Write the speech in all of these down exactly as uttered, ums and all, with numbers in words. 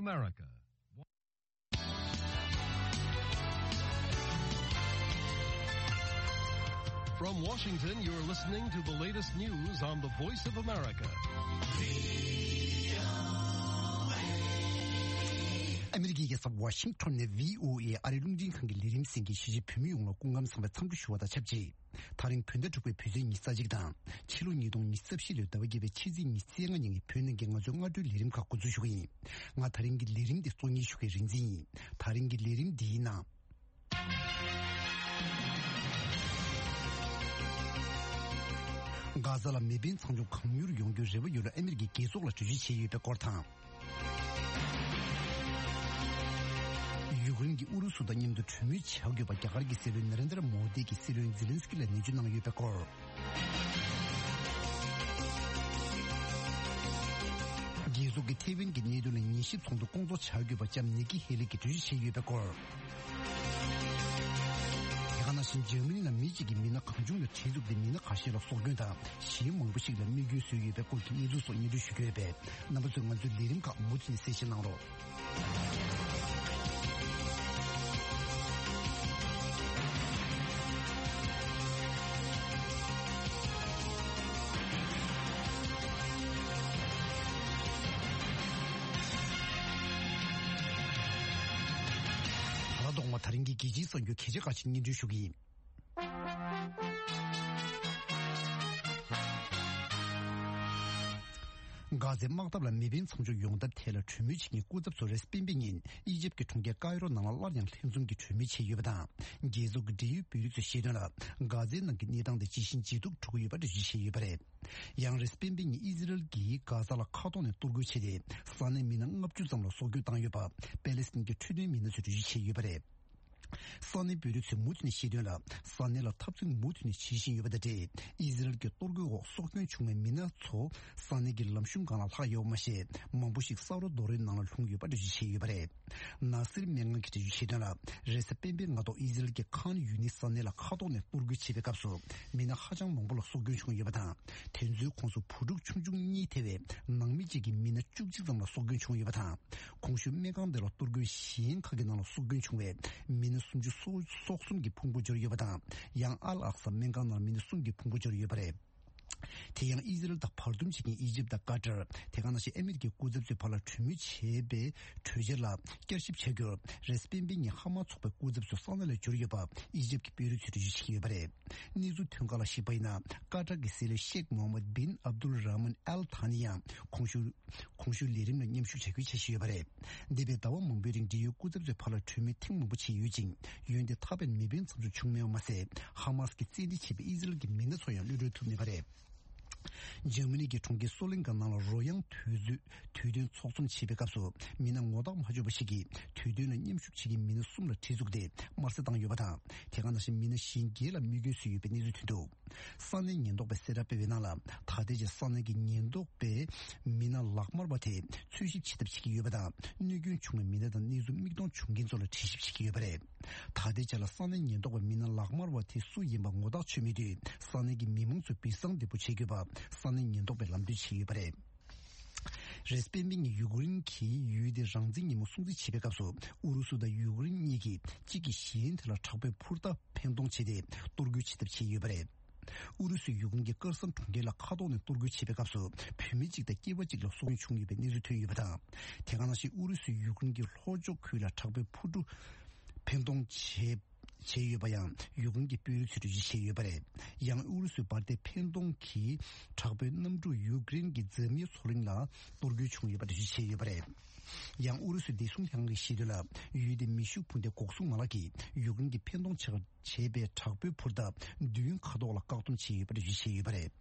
America. From Washington, you're listening to the latest news on the Voice of America. ཨ་མི་རི་ཀའི་རྒྱལ་ས་ཝ་ཤིང་ཊོན་ནས་བྷི་ཨོ་ཨེ་ཨ་རིའི་རླུང་འཕྲིན་ཁང་གི་ལས་རིམ་གསན་མཁན་གཞིས་བྱེས་བོད་མི་ཡོངས་ལ་སྐུ་ཁམས་བཟང་བའི་འཚམས་འདྲི་ཞུ་བ་དང་ཆབས་ཅིག་དེ་རིང་བོད་ཟླ་དྲུག་པའི་བོད་ཚེས་ཉི་ཤུ་རྩ་གཅིག་དང་། ཕྱི་ལོ་ཉིས་སྟོང་ཉི་ཤུ་རྩ་བཞི་ལོའི་ཟླ་བ་བརྒྱད་པའི་ཕྱི་ཚེས་ཉི་ཤུ་རྩ་ལྔ་ཉིན་གྱི་བོད་ནང་གི་ང་ཚོའི་སྔ་དྲོའི་ལས་རིམ་ཁག་འགོ་འཛུགས་ཞུ་གི་ཡིན། ང་དེ་རིང་གི་ལས་རིམ་འདི་གཙོ་གཉེར་ཞུ་མཁན་རིག་འཛིན་ཡིན། དེ་རིང་གི་ལས་རིམ་འདིའི་ནང་། གྷ་ཛ་ལ་མེ་འཕེན་མཚམས་འཇོག་གང་མྱུར་ཡོང་རྒྱུའི་རེ་བ་ཡོད་ལ་ཨ་མི་རི་ཀས་རྒྱལ་ཚོགས་ལ་གྲོས་ཆོད་བྱས་ཡོད་པའི་སྐོར་དང་། ཡུཀ་རེན་གྱིས་ཨུ་རུ་སུ་དང་མཉམ་དུ་གྲོས་མོལ་བྱ་དགོས་པ་རྒྱ་གར་གྱི་སྲིད་བློན་ནེ་རེན་དྲ་མོ་དི་གིས་སྲིད་བློན་ཛེ་ལན་སི་ཀི་ལ་ནན་བརྗོད་གནང་ཡོད་པའི་སྐོར། རྒྱལ་ཚོགས་ཀྱིས་ཐེ་ཝན་གྱི་གནད་དོན་ལ་ཉན་ཞིབ་ཚོགས་འདུ་སྐོང་ཚོགས་བྱ་དགོས་པ་ལྕམ་ནིག་ཀི་ཧེ་ལི་གིས་གྲོས་ཆོད་བྱས་ཡོད་པའི་སྐོར། དེ་ག་ནང་བཞིན་འཇར་མ་ནི་ནང་མི་གཅིག་གིས་མི་སྣ་གང་བྱུང་ལ་གྲི་བཙུགས་ཏེ་མི་སྣ་ཁ་ཤས་ལ་སྲོག་སྐྱོན་དང་གཞན་མང་པོ་ཞིག་ལ་རྨས་སྐྱོན་བཟོས་ཡོད་པའི་སྐོར་གྱི་གནས་ཚུལ་སོགས་སྙན་སྒྲོན་ཞུ་རྒྱུ་ཡོད་པས། རྣམ་པ་ཚོས་ང་ཚོའི་ལས་རིམ་ཁག་མུ་མཐུད་ནས་གསན་བཞེས་གནང་རོགས། ད་ལྟ་ཐོག་མ་དེ་རིང་གི་རྒྱལ་སྤྱིའི་གསར་འགྱུར་གལ་ཆེ་ཁག་ཅིག་སྙན་སྒྲོན་ཞུ་གི་ཡིན། གྷ་ཛའི་དམག་འཐབ་ལ་མེ་འཕེན་མཚམས་འཇོག་ཡོང་ཐབས་ཐད་ལ་གྲོས་མོལ་བྱེད་མཁན་སྐུ་ཚབ་ཚོ་རེས་སྤེན་པའི་ཉིན་ཨི་ཇིབ་ཀྱི་གྲོང་ཁྱེར་ཀའི་རོ་ནང་ལ་སླར་ཡང་ལྷན་འཛོམས་ཀྱིས་གྲོས་མོལ་བྱས་ཡོད་པ་དང་། རྒྱལ་ཚོགས་ཀྱི་འབྲེལ་ཡོད་དཔོན་རིགས་ཚོས་བཤད་དོན་ལ། གྷ་ཛའི་ནང་གི་གནས་སྟངས་དེ་ཇི་བཞིན་ཇེ་སྡུག་འགྲོ་གི་ཡོད་པ་འགྲེལ་བརྗོད་བྱས་ཡོད་པ་རེད། ཡང་རེས་སྤེན་པའི་ཉིན་ཨི་ཟི་རལ་གྱིས་གྷ་ཛ་ལ་མཁའ་ཐོག་ནས་གཏོར་རྒོལ་བྱས་ཏེ། ས་གནས་མི་སྣ་ལྔ་བཅུ་ཙམ་ལ་སྲོག་སྐྱོན་བཏང་ཡོད་པ་པེ་ལེ་སི་ཐན་གྱི་འཕྲོད་བསྟེན་མི་སྣ་ཚོས་འགྲེལ་བརྗོད་བྱས་ཡོད་པ་རེད། ས་གནས་དཔོན་རིགས་ཚོས་མུ་མཐུད་ནས་བཤད་དོན་ལ། ས་གནས་ལ་འཐབ་འཛིང་མུ་མཐུད་ནས་བྱེད་བཞིན་ཡོད་པ་དང་འབྲེལ། ཨི་ཟི་རལ་གྱི་གཏོར་རྒོལ་འོག་སྲོག་སྐྱོན་བྱུང་བའི་མི་སྣ་ཚོ་ས་གནས་ཀྱི་ལམ་གཞུང་སྒང་ལ་ལྷག་ཡོད་པ་མ་ཟད། མང་པོ་ཞིག་ས་རོ་རྡོ་རོའི་ནང་ལ་ལྷུང་ཡོད་པ་འགྲེལ་བརྗོད་བྱས་ཡོད་པ་རེད། ནཱ་སིར་སྨན་ཁང་གིས་འགྲེལ་བརྗོད་བྱས་དོན་ལ། རེས་གཟའ་སྤེན་པའི་སྔ་ཐོག་ཨི་ཟི་རལ་གྱི་ཁཱན་ཡུ་ནིས་ས་གནས་ལ་མཁའ་ཐོག་ནས་གཏོར་རྒོལ་བྱེད་པའི་སྐབས་སུ། མི་སྣ་ཧ་ཅང་མང་པོ་ལ་སྲོག་སྐྱོན་བྱུང་ཡོད་པ་དང་། དེ་ཚོའི་ཁོངས་སུ་བུ་ཕྲུག་ཆུང་ཆུང་གཉིས་ཐེ་བའི་ནང་མི་གཅིག་གི་མི་སྣ་བཅུ་གཅིག་ཙམ་ལ་སྲོག་སྐྱོན་བྱུང་ཡོད་པ་དང་། གོང་ཞུས་སྨན་ཁང་དེ་ལ་གཏོར་རྒོལ་གཞན་ཁག་གི་ནང་ལ་སྲོག་སྐྱོན་བྱུང་བའི་མི་སྣ་སུམ་ཅུ་སོ་སོ་གསུམ་གྱི་ཕུང་པོ་འབྱོར་ཡོད་པ་དང་། ཡང་ཨལ་ཨག་ས་སྨན་ཁང་ནང་ལ་མི་སྣ་གསུམ་གྱི་ཕུང་པོ་འབྱོར་ཡོད་པ་རེད། དེ་ཡང་ཨི་ཟི་རལ་དང་བར་འདུམ་བྱེད་མཁན་ཨི་ཇིབ་དང་ཀ་ཏར། དེ་ག་ནང་བཞིན་ཨ་མི་རི་ཀའི་སྐུ་ཚབ་ཚོའི་བར་ལ་གྲོས་མོལ་བྱས་པའི་གྲོས་འཆར་ལ་བསྐྱར་ཞིབ་བྱ་རྒྱུར། རེས་སྤེན་པའི་ཉིན་ཧ་མ་ཚོགས་པའི་སྐུ་ཚབ་ཚོ་ས་གནས་ལ་འབྱོར་ཡོད་པ་ཨི་ཇིབ་ཀྱི་དཔོན་རིགས་ཚོས་འགྲེལ་བརྗོད་བྱེད་ཀྱི་ཡོད་པ་རེད། གནས་ཚུལ་ཐོན་ཁག་ལ་གཞིགས་པ་ཡིན་ན། ཀ་ཏར་གྱི་སྲིད་བློན་ཤེག་མོ་ཧམ་མད་བིན་ཨབ་དུལ་ར་མན་ཨལ་ཐ་ནི་ཡང་གོང་ཞུས་གོང་ཞུས་ལས་རིམ་ལ་མཉམ་ཞུགས་བྱ་རྒྱུའི་འཆར་གཞི་ཡོད་པ་རེད། འདས་པའི་ཟླ་བ་མང་པོའི་རིང་འབྲེལ་ཡོད་སྐུ་ཚབ་ཚོའི་བར་ལ་གྲོས་མོལ་ཐེངས་མང་པོ་བྱས་ཡོད་ཅིང་། འོན་ཏེ་ཐ་ཕན་མེད་པའི་མཚམས་འཇོག་བྱུང་མེད་པ་མ་ཟད། ཧ་མ་སི་ཀྱིས་བཙན་ཁྲིད་བྱས་པའི་ཨི་ཟི་རལ་གྱི་མི་སྣ་ཚོ་ཡང་གློད་གྲོལ་ཐུབ་མེད་པ་རེད། འཇར་མ་ནི་གི་གྲོང་ཁྱེར་སོ་ལེན་ཀ་ནང་ལ་རོལ་དབྱངས་དུས་ཚོད་དུས་སྟོན་ཚོགས་འཛོམས་བྱེད་པའི་སྐབས་སུ། མི་སྣ་ངོ་རྟགས་མ་བྱུང་བ་ཞིག་གིས་དུས་སྟོན་ལ་མཉམ་ཞུགས་བྱེད་མཁན་མི་སྣ་གསུམ་ལ་གྲི་བཙུགས་ཏེ་དམར་གསོད་བཏང་ཡོད་པ་དང་། དེ་ག་ནང་བཞིན་མི་སྣ་གཞན་བརྒྱད་ལ་རྨས་སྐྱོན་བཟོས་ཡོད་པའི་གནས་ཚུལ་ཐོན་འདུག་ས་གནས་ཉེན་རྟོག་པས་གསལ་བསྒྲགས་སྤེལ་བའི་ནང་ལ། ད་ལྟའི་ཆར་ས་གནས་ཀྱི་ཉེན་རྟོག་པས་མི་སྣ་ལག་དམར་བ་དེ་འཚོལ་ཞིབ་བྱེད་ཐབས་བྱེད་ཀྱི་ཡོད་པ་དང་། རྨས་སྐྱོན་བྱུང་བའི་མི་སྣ་དང་གནས་ཚུལ་མིག་མཐོང་བྱུང་མཁན་ཚོ་ལ་དྲི་ཞིབ་བྱེད་ཀྱི་ཡོད་པ་རེད། ད་ལྟའི་ཆར་ལ་ས་གནས་ཉེན་རྟོག་པས་མི་སྣ་ལག་དམར་བ་དེ་སུ་ཡིན་པ་ངོ་ཐག་ཆོད་མེད་དུས། ས་གནས་ཀྱི་མི་མང་ཚོས་སྦྲུལ་གསང་འདེད་པོ་བྱེད་དགོས་པ་ས་གནས་ཉེན་རྟོག་པས་ལམ་སྟོན་བྱས་ཡོད་པ་རེད། རེས་སྤེན་པའི་ཉིན་ཡུཀ་རེན་གྱིས་ཡུལ་དེའི་རང་བཙན་ཉིན་མོ་སྲུང་བརྩི་བྱེད་པའི་སྐབས་སུ། ཨུ་རུ་སུ་དང་ཡུཀ་རེན་གཉིས་ཀྱིས་གཅིག་གིས་གཞན་དེ་ལ་དྲག་པོའི་འཕུར་མདའ་འཕེན་གཏོང་བྱས་ཏེ་གཏོར་རྒོལ་བྱེད་ཐབས་བྱས་ཡོད་པ་རེད། ཨུ་རུ་སུས་ཡུཀ་རེན་གྱི་ཀར་སན་གྲོང་ཁྱེར་ལ་མཁའ་ཐོག་ནས་གཏོར་རྒོལ་བྱེད་པའི་སྐབས་སུ། བུད་མེད་གཅིག་དང་སྐྱེས་པ་གཅིག་ལ་སྲོག་སྐྱོན་བྱུང་ཡོད་པའི་གནས་ཚུལ་ཐོན་ཡོད་པ་དང་། དེ་ག་ནང་བཞིན་ཨུ་རུ་སུས་ཡུཀ་རེན་གྱི་ལྷོ་ཕྱོགས་ཁུལ་ལ་དྲག་པོའི་འཕུར་གྲུ་འཕེན་གཏོང་བྱས། བྱས་ཡོད་པ་ཡང་ཡུཀ་རེན་གྱི་དཔོན་རིགས་ཚོས་འགྲེལ་བརྗོད་བྱས་ཡོད་པ་རེད། ཡང་ཨུ་རུ་སུའི་འབར་མདེལ་འཕེན་གཏོང་གིས་དྲག་པོའི་གནམ་གྲུ་ཡུཀ་རེན་གྱི་འཛམ་གླིང་མཚོ་གླིང་ལ་གཏོར་རྒོལ་བྱུང་ཡོད་པ་འགྲེལ་བརྗོད་བྱས་ཡོད་པ་རེད། ཡང་ཨུ་རུ་སུའི་བདེ་སྲུང་ལྷན་ཁང་གིས་བཤད་དོན་ལ། ཡུལ་དེའི་མེ་ཤུགས་འཕུར་མདེལ་འགོག་སྲུང་མ་ལག་གིས་ཡུཀ་རེན་གྱིས་འཕེན་གཏོང་བྱས་བྱས་པའི་དྲག་པོའི་འཕུར་མདའ་བདུན་མཁའ་ཐོག་ལ་བཀག་སྡོམ་བྱས་ཡོད་པ་འགྲེལ་བརྗོད་བྱས་ཡོད་པ་རེད།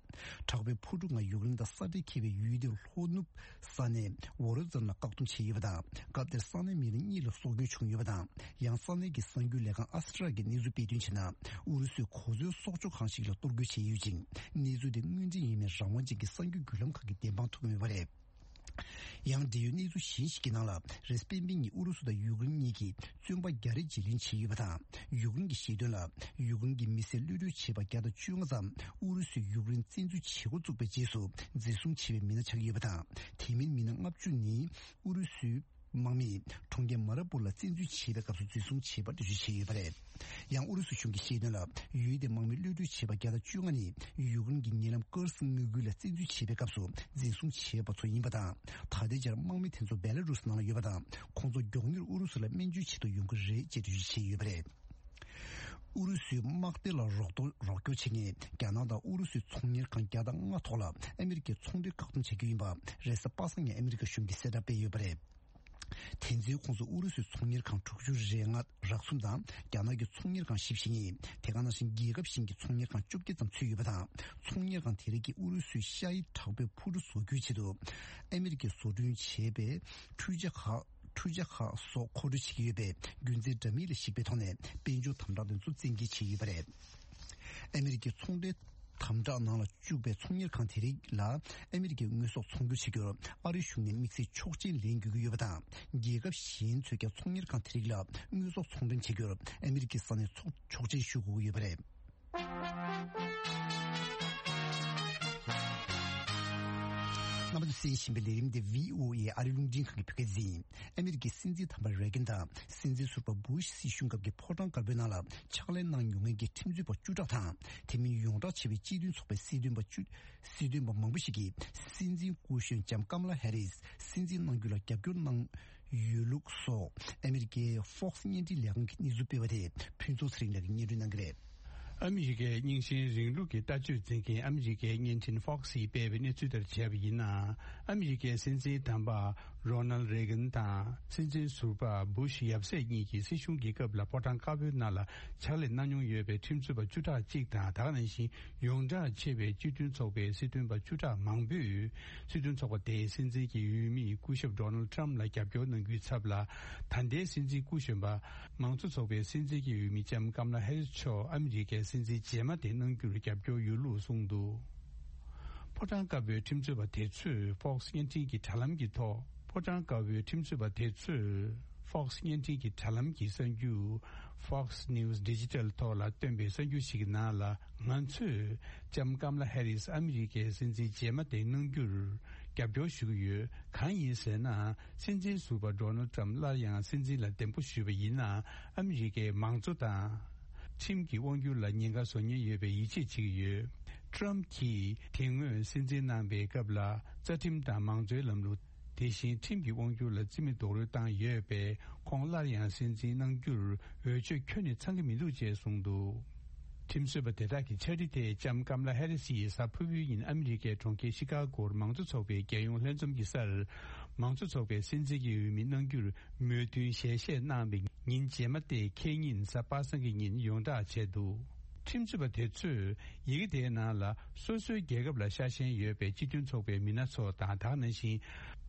དྲག་པོའི་འཕུར་གྲུ་ལྔ་ཡུཀ་རེན་དང་ས་འབྲེལ་འཁེལ་བའི་ཡུལ་དེའི་ལྷོ་ནུབ་ས་གནས་ཝོ་རོ་ཛོན་ལ་བཀག་སྡོམ་བྱས་ཡོད་པ་དང་། སྐབས་དེར་ས་གནས་མི་སྣ་གཉིས་ལ་སྲོག་སྐྱོན་བྱུང་ཡོད་པ་དང་། ཡང་ས་གནས་ཀྱི་གསར་འགྱུར་ལས་ཁང་ཨ་སི་ཊྲ་གི་གནས་ཚུལ་སྤེལ་དོན་བྱས་ན། ཨུ་རུ་སུས་གོ་མཚོན་སྲོག་ཆགས་ཁང་ཞིག་ལ་གཏོར་རྒོལ་བྱས་ཡོད་ཅིང་། གནས་ཚུལ་དེ་དངོས་འབྲེལ་ཡིན་མིན་རང་དབང་ཅན་གྱི་གསར་འགྱུར་བརྒྱུད་ལམ་ཁག་གིས་བདེན་དཔང་ཐོབ་མེད་པ་རེད། ཡང་འབྲེལ་ཡོད་གནས་ཚུལ་གཞན་ཞིག་གི་ནང་ལ། རེས་སྤེན་པའི་ཉིན་ཨུ་རུ་སུ་དང་ཡུཀ་རེན་གཉིས་ཀྱིས་བཙོན་པ་བརྒྱ་རེ་བརྗེ་ལེན་བྱས་ཡོད་པ་དང་། ཡུཀ་རེན་གྱིས་བཤད་དོན་ལ། ཡུཀ་རེན་གྱི་མི་སེར་གློད་གྲོལ་བྱས་པ་བརྒྱ་དང་བཅོ་ལྔ་ཙམ་ཨུ་རུ་སུས་ཡུཀ་རེན་བཙན་འཛུལ་བྱེད་འགོ་བཙུགས་པའི་རྗེས་སུ་འཛིན་བཟུང་བྱས་པའི་མི་སྣ་ཆགས་ཡོད་པ་དང་། དེ་མིན་མི་སྣ་ལྔ་བཅུ་ནི་ཨུ་རུ་སུའི་ དམག་མིས་གྲོང་ཁྱེར་མ་ར་པུར་ལ་བཙན་འཛུལ་བྱེད་པའི་སྐབས་སུ་འཛིན་བཟུང་བྱས་པ་འགྲེལ་བརྗོད་བྱས་ཡོད་པ་རེད། ཡང་ཨུ་རུ་སུ་གཞུང་གིས་བཤད་དོན་ལ། ཡུལ་དེའི་དམག་མི་གློད་གྲོལ་བྱས་པ་བརྒྱ་དང་བཅོ་ལྔ་ནི་ཡུཀ་རེན་གྱི་ཉེ་ལམ་ཀུར་སི་མངའ་ཁུལ་ལ་བཙན་འཛུལ་བྱེད་པའི་སྐབས་སུ་འཛིན་བཟུང་བྱས་པ་ཚོ་ཡིན་པ་དང་། ད་ལྟའི་ཆར་དམག་མི་དེ་ཚོ་བེ་ལ་རུ་སི་ནང་ལ་ཡོད་པ་དང་། ཁོང་ཚོ་མགྱོགས་མྱུར་ཨུ་རུ་སུ་ལ་སྨན་བཅོས་བྱེད་དུ་ཡོང་གི་རེད་ཅེས་འགྲེལ་བརྗོད་བྱས་ཡོད་པ་རེད། ཨུ་རུ་སུའི་དམག་སྡེ་ལ་རོགས་རོགས་སྐྱོར་བྱེད་མཁན་རྒྱ་ནག་དང་ཨུ་རུ་སུའི་ཚོང་གཉེར་ཁང་བརྒྱ་དང་ལྔ་ཐོག་ལ་ཨ་མི་རི་ཀས་ཚོང་འབྲེལ་བཀག་སྡོམ་བྱ་རྒྱུ་ཡིན་པ་རེས་གཟའ་པ་སངས་ཉིན་ཨ་མི་རི་ཀ་གཞུང་གིས་གསལ་བསྒྲགས་སྤེལ་ཡོད་པ་རེད། དེ་ཚོའི་ཁོངས་སུ་ཨུ་རུ་སུའི་ཚོང་གཉེར་ཁང་དྲུག་ཅུ་རེ་ལྔ་རག་གསུམ་དང་རྒྱ་ནག་གི་ཚོང་གཉེར་ཁང་བཞི་བཅུ་ཞེ་གཉིས། དེ་ག་ནང་བཞིན་རྒྱལ་ཁབ་གཞན་གྱི་ཚོང་གཉེར་ཁང་བཅོ་བརྒྱད་ཙམ་ཚུད་ཡོད་པ་དང་། ཚོང་གཉེར་ཁང་དེ་རིགས་ཀྱིས་ཨུ་རུ་སུའི་ཤ་ཡི་དྲག་པོའི་འཕུར་གྲུ་བཟོ་རྒྱུའི་ཆེད་དུ་ཨ་མི་རི་ཀས་བཟོ་སྐྲུན་བྱས་པའི་འཕྲུལ་ཆས་ཁག་འཕྲུལ་ཆས་ཁག་སོགས་མཁོ་སྤྲོད་བྱེད་ཀྱི་ཡོད་པས། རྒྱུ་མཚན་འདྲ་མིན་ལ་གཞིགས་པའི་ཐོག་ནས་དཔལ་འབྱོར་དམ་དྲག་དེ་ཚོ་བཙན་འགེལ་བྱས་ཡོད་པ་རེད། ཨ་མི་རི་ཀའི་ཚོང་འབྲེལ་དམ་དྲག་ནང་ལ་བཅུག་པའི་ཚོང་གཉེར་ཁང་དེ་རིགས་ལ་ཨ་མི་རི་ཀའི་དངོས་ཟོག་ཚོང་སྒྱུར་བྱེད་རྒྱུར་ཨ་རིའི་གཞུང་ནས་དམིགས་བསལ་ཆོག་མཆན་ལེན་དགོས་ཀྱི་ཡོད་པ་དང་། རྒྱལ་ཁབ་གཞན་ཚོས་ཀྱང་ཚོང་གཉེར་ཁང་དེ་རིགས་ལ་དངོས་ཟོག་ཚོང་འདྲེན་བྱེད་རྒྱུར་ཨ་མི་རི་ཀའི་ས་གནས་ཚོགས་ཆོག་མཆན་ཞུ་དགོས་ཀྱི་ཡོད་པ་རེད། རྣམ་པ་ཚོས་གསན་བཞིན་པའི་ལས་རིམ་འདི་བྷི་ཨོ་ཨེ་ཨ་རིའི་རླུང་འཕྲིན་ཁང་གི་བོད་སྐད་སྡེ་ཡིན། ཨ་མི་རི་ཀའི་སྲིད་འཛིན་དམ་པ་རེ་གན་དང་སྲིད་འཛིན་ཟུར་པ་བུ་ཤི་སྲིད་གཞུང་སྐབས་ཀྱི་ཕོ་བྲང་དཀར་པོའི་ནང་ལ་ཕྱག་ལས་གནང་མྱོང་མཁན་གྱི་ཁྲིམས་རྩོད་པ་བཅུ་ཕྲག་དང་། དེ་མིན་ཡོངས་གྲགས་ཆེ་བའི་སྤྱི་མཐུན་ཚོགས་པའི་སྲིད་དོན་པ་བཅུ། སྲིད་དོན་པ་མང་པོ་ཞིག་གིས་སྲིད་འཛིན་སྐུ་གཞོན་ལྕམ་ཀམ་ལ་ཧེ་རིས་སྲིད་འཛིན་གནང་རྒྱུ་ལ་རྒྱབ་སྐྱོར་གནང་ཡོད་ལུགས་སོགས་ཨ་མི་རི་ཀའི་Fox་བརྙན་འཕྲིན་ལས་ཁང་གིས་གནས་ཚུལ་སྤེལ་བ་དེ་ཕུན་ཚོགས་ཚེ་རིང་ལགས་ཀྱིས་སྙན་སྒྲོན་གནང་གི་རེད། ཨ་མི་རི་ཀའི་རྙིང་ཞེན་རིང་ལུགས་ཀྱི་ལྟ་སྤྱོད་འཛིན་མཁན་ཨ་མི་རི་ཀའི་བརྙན་འཕྲིན་Fox་ཡིས་སྤེལ་བའི་གནས་ཚུལ་ལྟར་བྱས་པ་ཡིན་ན། ཨ་མི་རི་ཀའི་སྲིད་འཛིན་དམ་པ་Ronald Reagan་དང་སྲིད་འཛིན་ཟུར་པ་བུ་ཤི་ཡབ་སྲས་གཉིས་ཀྱི་སྲིད་གཞུང་གི་སྐབས་ལ་ཕོ་བྲང་དཀར་པོའི་ནང་ལ་ཕྱག་ལས་གནང་མྱོང་ཡོད་པའི་ཁྲིམས་རྩོད་པ་བཅུ་ཕྲག་གཅིག་དང་། ད་ག་ནང་བཞིན་ཡོངས་གྲགས་ཆེ་བའི་སྤྱི་མཐུན་ཚོགས་པའི་སྲིད་དོན་པ་བཅུ་ཕྲག་མང་པོས་སྲིད་དོན་ཚོགས་པ་དེའི་སྲིད་འཛིན་གྱི་འོས་མི་སྐུ་ཞབས་Donald Trump་ལ་རྒྱབ་སྐྱོར་གནང་རྒྱུའི་ཚབ་ལ། ད་ལྟའི་སྲིད་འཛིན་སྐུ་གཞོན་པ་མང་གཙོ་ཚོགས་པའི་སྲིད་འཛིན་གྱི་འོས་མི་ལྕམ་ཀམ་ལ་ཧེ་རིས་མཆོག་ཨ་མི་རི་ཀའི་སྲིད་འཛིན་རྗེས་མ་དེ་གནང་རྒྱུར་རྒྱབ་སྐྱོར་ཡོད་ལུགས་གསུངས་འདུག་ཕོ་བྲང་དཀར་པོའི་ཁྲིམས་རྩོད་པ་དེ་ཚོས་Fox་བརྙན་འཕྲིན་གྱི་དྲ་ལམ་གྱི་ཐོག་ཕོ་བྲང་དཀར་པོའི་ཁྲིམས་རྩོད་པ་དེ་ཚོས་Fox་བརྙན་འཕྲིན་གྱི་དྲ་ལམ་གྱི་གསར་འགྱུར་Fox News Digital་ཐོག་ལ་བཏོན་པའི་གསར་འགྱུར་ཞིག་གི་ནང་ལ། ང་ཚོས་ལྕམ་ཀམ་ལ་ཧེ་རིས་ཨ་མི་རི་ཀའི་སྲིད་འཛིན་རྗེས་མ་དེ་གནང་རྒྱུར་རྒྱབ་སྐྱོར་ཞུ་གི་ཡོད། གང་ཡིན་ཟེར་ན། སྲིད་འཛིན་ཟུར་པ་Donald Trump་སླར་ཡང་སྲིད་འཛིན་ལ་འདེམས་བསྐོ་ཞུས་པ་ཡིན་ན། ཨ་མི་རི་ཀའི་མང་གཙོ་དང་ཁྲིམས་ཀྱི་དབང་སྒྱུར་ལ་ཉེན་ཁ་བཟོ་ཉེན་ཡོད་པའི་ཡིད་ཆེས་བྱེད་ཀྱི་ཡོད། Trump་གྱིས་དེ་སྔོན་སྲིད་འཛིན་གནང་པའི་སྐབས་ལ་རྩ་ཁྲིམས་དང་མང་གཙོའི་ལམ་ལུགས། དེ་བཞིན་ཁྲིམས་ཀྱི་དབང་སྒྱུར་ལ་རྩིས་མེད་རྡོག་རོལ་བཏང་ཡོད་པས། ཁོང་སླར་ཡང་སྲིད་འཛིན་གནང་རྒྱུར་འོས་ཆོས་ཁྱོན་ནས་ཚང་གི་མི་འདུག་ཅེས་གསུངས་འདུག་ཁྲིམས་རྩོད་པ་དེ་དག་གི་ཕྱག་བྲིས་དེ་ལྕམ་ཀམ་ལ་ཧེ་རི་སི་ཡིས་གཟའ་ཕུར་བུའི་ཉིན་ཨ་མི་རི་ཀའི་གྲོང་ཁྱེར་ཤི་ཀ་གོར་མང་གཙོ་ཚོགས་པའི་རྒྱལ་ཡོངས་ལྷན་འཛོམས་ཀྱི་སར། མང་གཙོ་ཚོགས་པའི་སྲིད་འཛིན་གྱི་འོས་མི་གནང་རྒྱུར་མོས་མཐུན་ཞལ་བཞེས་གནང་བའི་ཉིན་རྗེས་མ་སྟེ། ཁེ་ཉིན་གཟའ་པ་སངས་ཀྱི་ཉིན་ཡོངས་བསྒྲགས་བྱས་འདུག་ཁྲིམས་རྩོད་པ་དེ་ཚོས་ཡི་གེ་དེའི་ནང་ལ་སོ་སོའི་རྒྱལ་ཁབ་ལ་ཤ་ཞེན་ཡོད་པའི་སྤྱི་མཐུན་ཚོགས་པའི་མི་སྣ་ཚོ་དང་། ད་ག་ནང་བཞིན་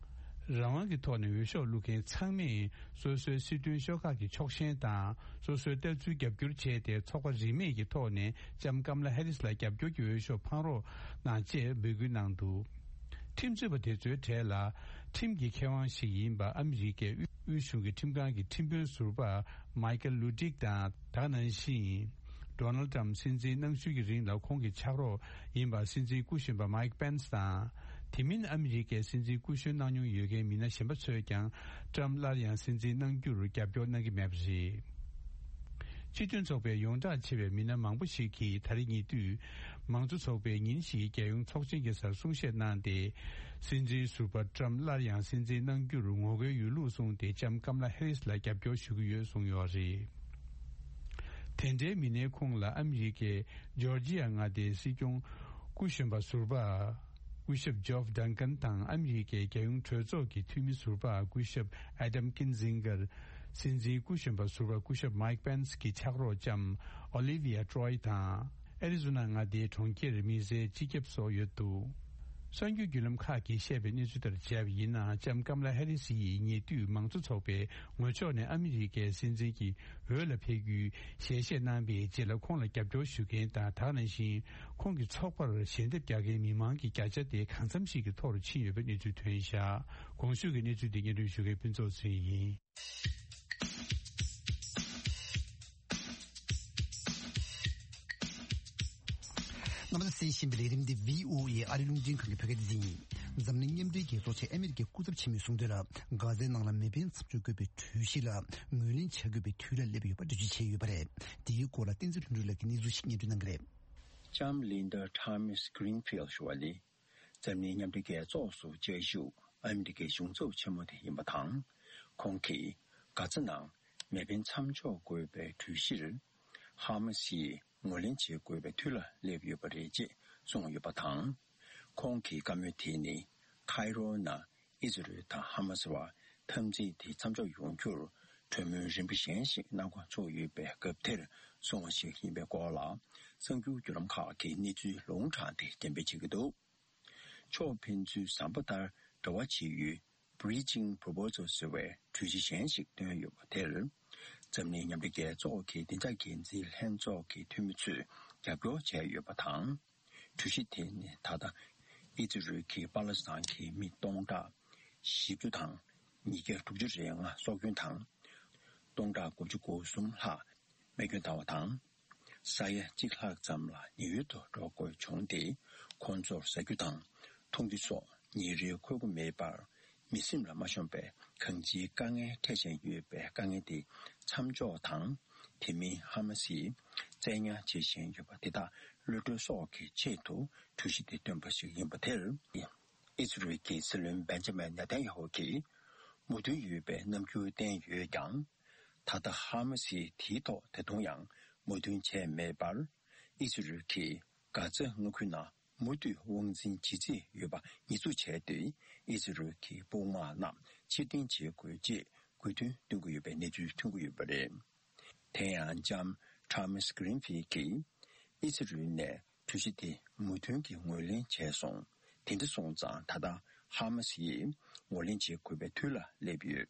རང་དབང་གི་ཐོག་ནས་འོས་ཤོག་བླུག་མཁན་ཚང་མས་སོ་སོའི་སྲིད་དོན་ཤོག་ཁག་གི་ཕྱོགས་ཞེན་དང་། སོ་སོའི་ལྟ་ཚུལ་རྒྱབ་སྐྱོར་བྱས་ཏེ། ཚོགས་པ་རིས་མེད་ཀྱི་ཐོག་ནས་ལྕམ་ཀམ་ལ་ཧེ་རིས་ལ་རྒྱབ་སྐྱོར་གྱི་འོས་ཤོག་འཕང་རོགས་གནང་ཅེས་འབོད་སྐུལ་གནང་འདུག་ཁྲིམས་རྩོད་པ་དེ་ཚོའི་གྲས་ལ་ཁྲིམས་ཀྱི་མཁས་དབང་ཞིག་ཡིན་པ་ཨ་མི་རི་ཀའི་དབུས་གཞུང་གི་ཁྲིམས་ཁང་གི་ཁྲིམས་དཔོན་ཟུར་པ་མའི་ཀལ་ལུ་ཏིག་དང་། ད་ག་ནང་བཞིན། Donald Trump་སྲིད་འཛིན་གནང་ཤུལ་གྱི་རིང་ལ་ཁོང་གི་ཕྱག་རོགས་ཡིན་པ་སྲིད་འཛིན་སྐུ་གཞོན་པ་Mike Pence་དང་། དེ་མིན་ཨ་མི་རི་ཀའི་སྲིད་འཛིན་སྐུ་གཞོན་གནང་མྱོང་ཡོད་མཁན་མི་སྣ་གཞན་པ་ཚོས་ཀྱང་Trump་སླར་ཡང་སྲིད་འཛིན་གནང་རྒྱུར་རྒྱབ་སྐྱོར་གནང་གི་མེད་པ་རེད། སྤྱི་མཐུན་ཚོགས་པའི་ཡོངས་གྲགས་ཆེ་བའི་མི་སྣ་མང་པོ་ཞིག་གིས་ད་རེས་ཉེ་དུས་མང་གཙོ་ཚོགས་པའི་ཉིན་ཞིག་རྒྱལ་ཡོངས་ཚོགས་ཆེན་གྱི་སར་གསུང་བཤད་གནང་སྟེ། སྲིད་འཛིན་ཟུར་པ་Trump་སླར་ཡང་སྲིད་འཛིན་གནང་རྒྱུར་ངོ་རྒོལ་ཡོད་ལུགས་གསུངས་ཏེ། ལྕམ་ཀམ་ལ་ཧེ་རིས་ལ་རྒྱབ་སྐྱོར་ཞུ་གི་ཡོད་གསུངས་ཡོད་རེད། དེ་འདྲའི་མི་སྣའི་ཁོངས་ལ་ཨ་མི་རི་ཀའི་ཇོར་ཇི་ཡ་མངའ་སྡེའི་སྲིད་སྐྱོང་སྐུ་གཞོན་པ་ཟུར་པ། སྐུ་ཞབས་ཇོབ་ཌང་ཀན་དང་། ཨ་མི་རི་ཀའི་རྒྱལ་ཡོངས་གྲོས་ཚོགས་ཀྱི་འཐུས་མི་ཟུར་པ་སྐུ་ཞབས་ཨེ་ཌམ་ཀིན་ཛིང་གར། སྲིད་འཛིན་སྐུ་གཞོན་པ་ཟུར་པ་སྐུ་ཞབས་མའིག་པེན་སི་གི་ཕྱག་རོགས་ལྕམ་ཨོ་ལི་ཝི་ཡ་ཏྲོའི་དང་། ཨེ་རི་ཛོ་ན་མངའ་སྡེའི་གྲོང་ཁྱེར་མི་ཟེར་སྤྱི་ཁྱབ་སོགས་ཡོད་འདུག་གསར་འགྱུར་བརྒྱུད་ལམ་ཁག་གིས་བཤད་པའི་གནས་ཚུལ་ལྟར་བྱས་པ་ཡིན་ན། ལྕམ་ཀམ་ལ་ཧེ་རི་སི་ཡིས་ཉེ་དུས་མང་གཙོ་ཚོགས་པའི་ངོས་ཕྱོགས་ནས་ཨ་མི་རི་ཀའི་སྲིད་འཛིན་གྱི་འོས་ལ་ཕེབས་རྒྱུའི་ཞལ་བཞེས་གནང་བའི་རྗེས་ལ་ཁོང་ལ་རྒྱབ་སྐྱོར་ཞུ་མཁན་དང་། ད་ག་ནང་བཞིན་ཁོང་གི་ཚོགས་པར་ཞལ་འདེབས་རྒྱག་མཁན་མི་མང་གི་བརྒྱ་ཆ་དེ་གང་འཚམ་ཞིག་གི་ཐོག་རུ་ཕྱིན་ཡོད་པའི་གནས་ཚུལ་ཐོན་བཞག་གོང་ཞུས་ཀྱི་གནས་ཚུལ་འདི་སྙན་སྒྲོན་ཞུ་མཁན་ཕུན་ཚོགས་ཚེ་རིང་ཡིན། རྣམ་པ་ཚོས་གསན་བཞིན་པའི་ལས་རིམ་འདི་བྷི་ཨོ་ཨེ་ཨ་རིའི་རླུང་འཕྲིན་ཁང་གི་བོད་སྐད་སྡེ་ཚན་ཡིན། འཛམ་གླིང་མཉམ་འབྲེལ་རྒྱལ་ཚོགས་ཆེད་ཨ་མི་རི་ཀའི་སྐུ་ཚབ་ཆེན་མོས་གསུངས་དོན་ལ། གྷ་ཛའི་ནང་ལ་མེ་འཕེན་མཚམས་འཇོག་དགོས་པའི་གྲོས་གཞི་ལ་ངོས་ལེན་བྱ་དགོས་པའི་དུས་ལ་སླེབས་ཡོད་པ་འགྲེལ་བརྗོད་བྱས་ཡོད་པ་རེད། དེའི་སྐོར་ལ་བསྟན་འཛིན་ལྷུན་གྲུབ་ལགས་ཀྱིས་གནས་ཚུལ་ཞིག་སྙན་སྒྲོན་གནང་གི་རེད། ལྕམ་Linda Thomas Greenfield ཞུ་བ་ནི། འཛམ་གླིང་མཉམ་འབྲེལ་རྒྱལ་ཚོགས་སུ་བཅའ་བཞུགས་ཨ་མི་རི་ཀའི་གཞུང་ཚབ་ཆེན་མོ་དེ་ཡིན་པ་དང་། ཁོང་གིས་གྷ་ཛ་ནང་མེ་འཕེན་མཚམས་འཇོག་དགོས་པའི་གྲོས་གཞིར། ཧ་མ་སིས་ངོས་ལེན་བྱེད་དགོས་པའི་དུས་ལ་སླེབས་ཡོད་པ་རེད་ཅེས་གསུངས་ཡོད་པ་དང་། ཁོང་གི་བཀའ་མོལ་དེ་ནི། ཁའི་རོ་ནང་ཨི་ཛི་རུལ་དང་ཧ་མ་སི་བར་འཐབ་འཛིང་དེ་མཚམས་འཇོག་ཡོང་རྒྱུར། གྲོས་མོལ་རིམ་པ་གཞན་ཞིག་གནང་དགོས་ཚུགས་ཡོད་པའི་སྐབས་དེར་སོང་བ་ཞིག་ཡིན་པའི་སྐོར་ལ། གསར་འགྱུར་བརྒྱུད་ལམ་ཁག་གིས་གནས་ཚུལ་ལུང་དྲངས་ཏེ་འགྲེམས་སྤེལ་བྱེད་ཀྱི་འདུག་ཕྱོགས་ཕན་ཚུན་བཟང་པོ་ལྟར་འབྲེལ་བ་བྱེད་ཡུལ། Bridging Proposal ཟེར་བའི་གྲོས་གཞི་གཞན་ཞིག་བཏོན་ཡོད་པ་དེར། འཛམ་གླིང་མཉམ་འབྲེལ་རྒྱལ་ཚོགས་ཀྱི་བདེ་འཇགས་འགན་འཛིན་ལྷན་ཚོགས་ཀྱི་འཐུས་མི་ཚོས་རྒྱབ་སྐྱོར་བྱས་ཡོད་པ་དང་། གྲོས་གཞི་དེ་ནི་ད་ལྟ་ཨི་ཛི་རུལ་གྱིས་པ་ལི་སི་ཐན་གྱི་མི་སྟོང་ཕྲག་བཞི་བཅུ་དང་ཉིས་བརྒྱ་དྲུག་ཅུ་རེ་ལྔ་སྲོག་སྐྱོན་དང་། སྟོང་ཕྲག་དགུ་བཅུ་གོ་གསུམ་ལྷག་རྨས་སྐྱོན་བཏང་བ་དང་། ས་ཡ་གཅིག་ལྷག་ཙམ་ལ་ཉེན་གཡོལ་དུ་འགྲོ་དགོས་བྱུང་སྟེ། ཁོང་ཚོར་ཟ་རྒྱུ་དང་འཐུང་རྒྱུ་སོགས་ཉིན་རེའི་མཁོ་དགུ་མེད་པར། མི་སེམས་ལ་མ་ཤོང་པའི་གང་ཅིའི་དཀའ་ངལ་འཕྲད་བཞིན་ཡོད་པའི་དཀའ་ངལ་དེ་མཚམས་འཇོག་དང་། དེ་མིན་ཧ་མ་སིས་བཙན་ཉར་བྱེད་བཞིན་ཡོད་པ་དེ་དག་གློད་གྲོལ་སོགས་ཀྱི་ཆེད་དུ་གྲོས་གཞི་དེ་བཏོན་པ་ཞིག་ཡིན་པ་དེར། ཨི་ཛི་རུལ་གྱི་སྲིད་བློན་བེན་ཇ་མིན་ནེ་ཐན་ཡ་ཧུ་གིས་མོས་མཐུན་ཡོད་པའི་རྣམ་འགྱུར་བསྟན་ཡོད་ཀྱང་། ད་ལྟ་ཧ་མ་སིས་དེའི་ཐོག་ད་དུང་ཡང་མོས་མཐུན་བྱས་མེད་པར། ཨི་ཛི་རུལ་གྱིས་གྷ་ཛ་མངའ་ཁུལ་ནང་མུ་མཐུད་དབང་འཛིན་བྱེད་རྩིས་ཡོད་པ་ཉེས་འཛུགས་བྱས་ཏེ། ཨི་ཛི་རུལ་གྱི་དཔུང་དམག་རྣམས་ཕྱིར་འཐེན་བྱེད་དགོས་ཅེས་དགོས་འདུན་བཏོན་གྱི་ཡོད་པའི་གནས་ཚུལ་ཐོན་གྱི་ཡོད་པ་རེད། དེ་ཡང་ལྕམ་Thomas Greenfield གྱིས་ཨི་ཛི་རུལ་ནས་གྲོས་གཞི་དེ་མོས་མཐུན་གྱིས་ངོས་ལེན་བྱས་སོང་། དེ་འདྲ་སོང་ཙང་ད་ལྟ་ཧ་མ་སི་ཡིས་ངོས་ལེན་བྱེད་དགོས་པའི་དུས་ལ་སླེབས་ཡོད།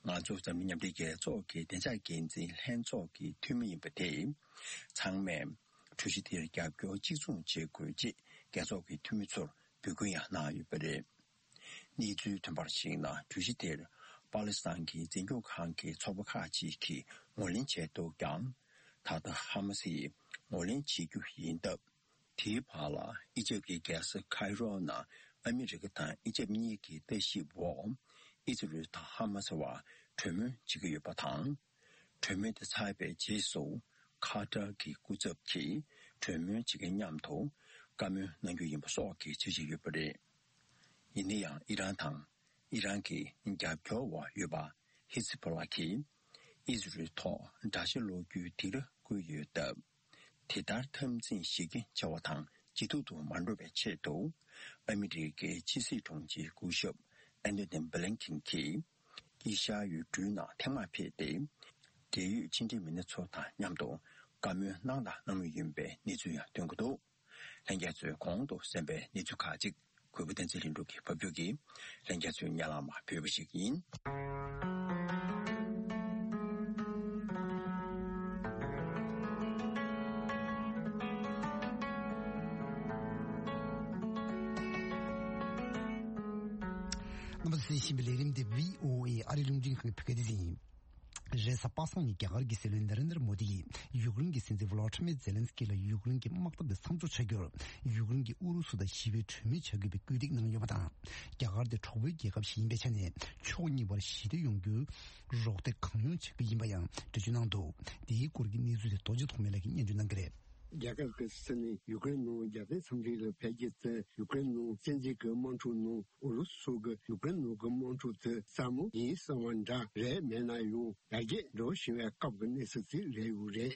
ང་ཚོ་འཛམ་གླིང་མཉམ་འབྲེལ་རྒྱལ་ཚོགས་ཀྱི་བདེ་འཇགས་འགན་འཛིན་ལྷན་ཚོགས་ཀྱི་འཐུས་མི་ཡིན་པ་དེས། ཚང་མས་གྲོས་གཞི་དེར་རྒྱབ་སྐྱོར་གཅིག་མཚུངས་བྱེད་དགོས་ཅེས་རྒྱལ་ཚོགས་ཀྱི་འཐུས་མི་ཚོར་འབོད་སྐུལ་ཡང་གནང་ཡོད་པ་རེད། གནས་ཚུལ་ཐོན་པར་གཞིགས་ན། གྲོས་གཞི་དེར་པ་ལི་སི་ཐན་གྱི་འཛིན་སྐྱོང་ཁང་གི་ཚོགས་པ་ཁག་ཅིག་གིས་ངོས་ལེན་བྱས་འདུག་ཀྱང་། ད་ལྟ་ཧ་མ་སིས་ངོས་ལེན་བྱེད་རྒྱུ་ཡིན་སྟབས། དེའི་བར་ལ་ཨི་ཇེབ་ཀྱི་རྒྱལ་ས་ཁའི་རོ་ནང་ཨ་མི་རི་ཀ་དང་ཨི་ཇེབ་གཉིས་ཀྱི་ལྟ་ཞིབ་འོག་ཨི་ཛི་རུལ་དང་ཧ་མ་སི་བར་གྲོས་མོལ་བྱེད་ཀྱི་ཡོད་པ་དང་། གྲོས་མོལ་དེ་ཚར་བའི་རྗེས་སུ། ཁ་ཏར་གྱི་སྐུ་ཚབ་ཀྱིས་གྲོས་མོལ་བྱེད་མཁན་མཉམ་དུ་བཀའ་མོལ་གནང་རྒྱུ་ཡིན་པ་སོགས་ཀྱི་འཆར་གཞི་ཡོད་པ་རེད། ཡིན་ན་ཡང་ཨི་རན་དང་ཨི་རན་གྱི་རྒྱབ་སྐྱོར་འོག་ཡོད་པ་ཧི་ཛི་བྷོ་ལ་གྱིས་ཨི་ཛི་རུལ་ཐོག་དགྲ་ཤ་སློག་རྒྱུའི་སྡིགས་ར་བསྐུལ་ཡོད་སྟབས། དེ་ལྟར་འཐབ་འཛིང་ཞེ་གི་ཆེ་བ་དང་ཇེ་སྡུག་ཏུ་མ་འགྲོ་བའི་ཆེད་དུ། ཨ་མི་རི་ཀའི་ཕྱི་སྲིད་དྲུང་ཆེ་སྐུ་ཞབས་ཨན་ཐོ་ནི་བྷི་ལིན་ཁིན་གྱིས། དཀྱིལ་ཤར་ཡུལ་གྲུའི་ནང་ཐེངས་མང་ཕེབས་ཏེ། འབྲེལ་ཡོད་ཕྱི་འབྲེལ་མི་སྣ་ཚོ་དང་མཉམ་དུ་བཀའ་མོལ་གནང་དང་གནང་མུས་ཡིན་པའི་གནས་ཚུལ་ཡང་ཐོན་གྱི་འདུག་ལྷན་རྒྱས་ཚོས་གོང་དུ་གསན་པའི་གནས་ཚུལ་ཁག་ཅིག་གུས་པ་བསྟན་འཛིན་ལྷུན་གྲུབ་ཀྱིས་ཕབ་སྒྱུར་གྱིས་ལྷན་རྒྱས་ཚོའི་སྙན་ལམ་ཕུལ་བ་ཞིག་ཡིན། རྣམ་པ་ཚོས་གསན་བཞིན་པའི་ལས་རིམ་འདི་བྷི་ཨོ་ཨེ་ཨ་རིའི་རླུང་འཕྲིན་ཁང་གི་བོད་སྐད་སྡེ་ཚན་ཡིན། རེས་གཟའ་པ་སངས་ཉིན་རྒྱ་གར་གྱི་སྲིད་བློན་ན་རེན་དྲ་མོ་དི་ཡིས་ཡུཀ་རེན་གྱི་སྲིད་འཛིན་ཝོ་ལོ་ཏི་མེ་ཛེ་ལན་སི་ཀི་ལ་ཡུཀ་རེན་གྱི་དམག་འཐབ་དེ་མཚམས་འཇོག་བྱ་རྒྱུར་ཡུཀ་རེན་གྱིས་ཨུ་རུ་སུ་དང་ཞི་བའི་གྲོས་མོལ་བྱ་དགོས་པའི་བཀོད་སྒྲིག་གནང་ཡོད་པ་དང་། རྒྱ་གར་དེ་གྲོགས་པོའི་རྒྱལ་ཁབ་ཞིག་ཡིན་པའི་ཆ་ནས་ཕྱོགས་གཉིས་བར་ཞི་བདེ་ཡོང་རྒྱུའི་རོགས་འདེགས་གང་ཡོང་བྱ་རྒྱུ་ཡིན་པ་ཡང་འགྲེལ་བརྗོད་གནང་འདུག་དེའི་སྐོར་གྱི་གནས་ཚུལ་དེ་རྡོ་རྗེ་ཐོགས་མེད་ལགས་ཀྱིས་སྙན་སྒྲོན་གནང་གི་རེད། རྒྱ་གར་གྱི་སྲིད་བློན་ཡུཀ་རེན་ནང་རྒྱལ་མཚན་འཚམས་འདྲི་ལ་ཕེབས་རྒྱུ་དེ་ཡུཀ་རེན་ནང་བཙན་འཛུལ་གྱི་དམག་འཁྲུག་ནང་ཨུ་རུ་སུ་གི་ཡུཀ་རེན་ནང་གི་དམག་འཁྲུག་དེ་སླ་མོ་ཡིན་བསམ་པ་འདྲ་རེད། མེད་ན་ཡང་ཡར་རྒྱས་འགྲོ་བཞིན་པའི་སྐབས་ཀྱི་གནས་ཚུལ་ཅིག་རེད་ཡོད་རེད།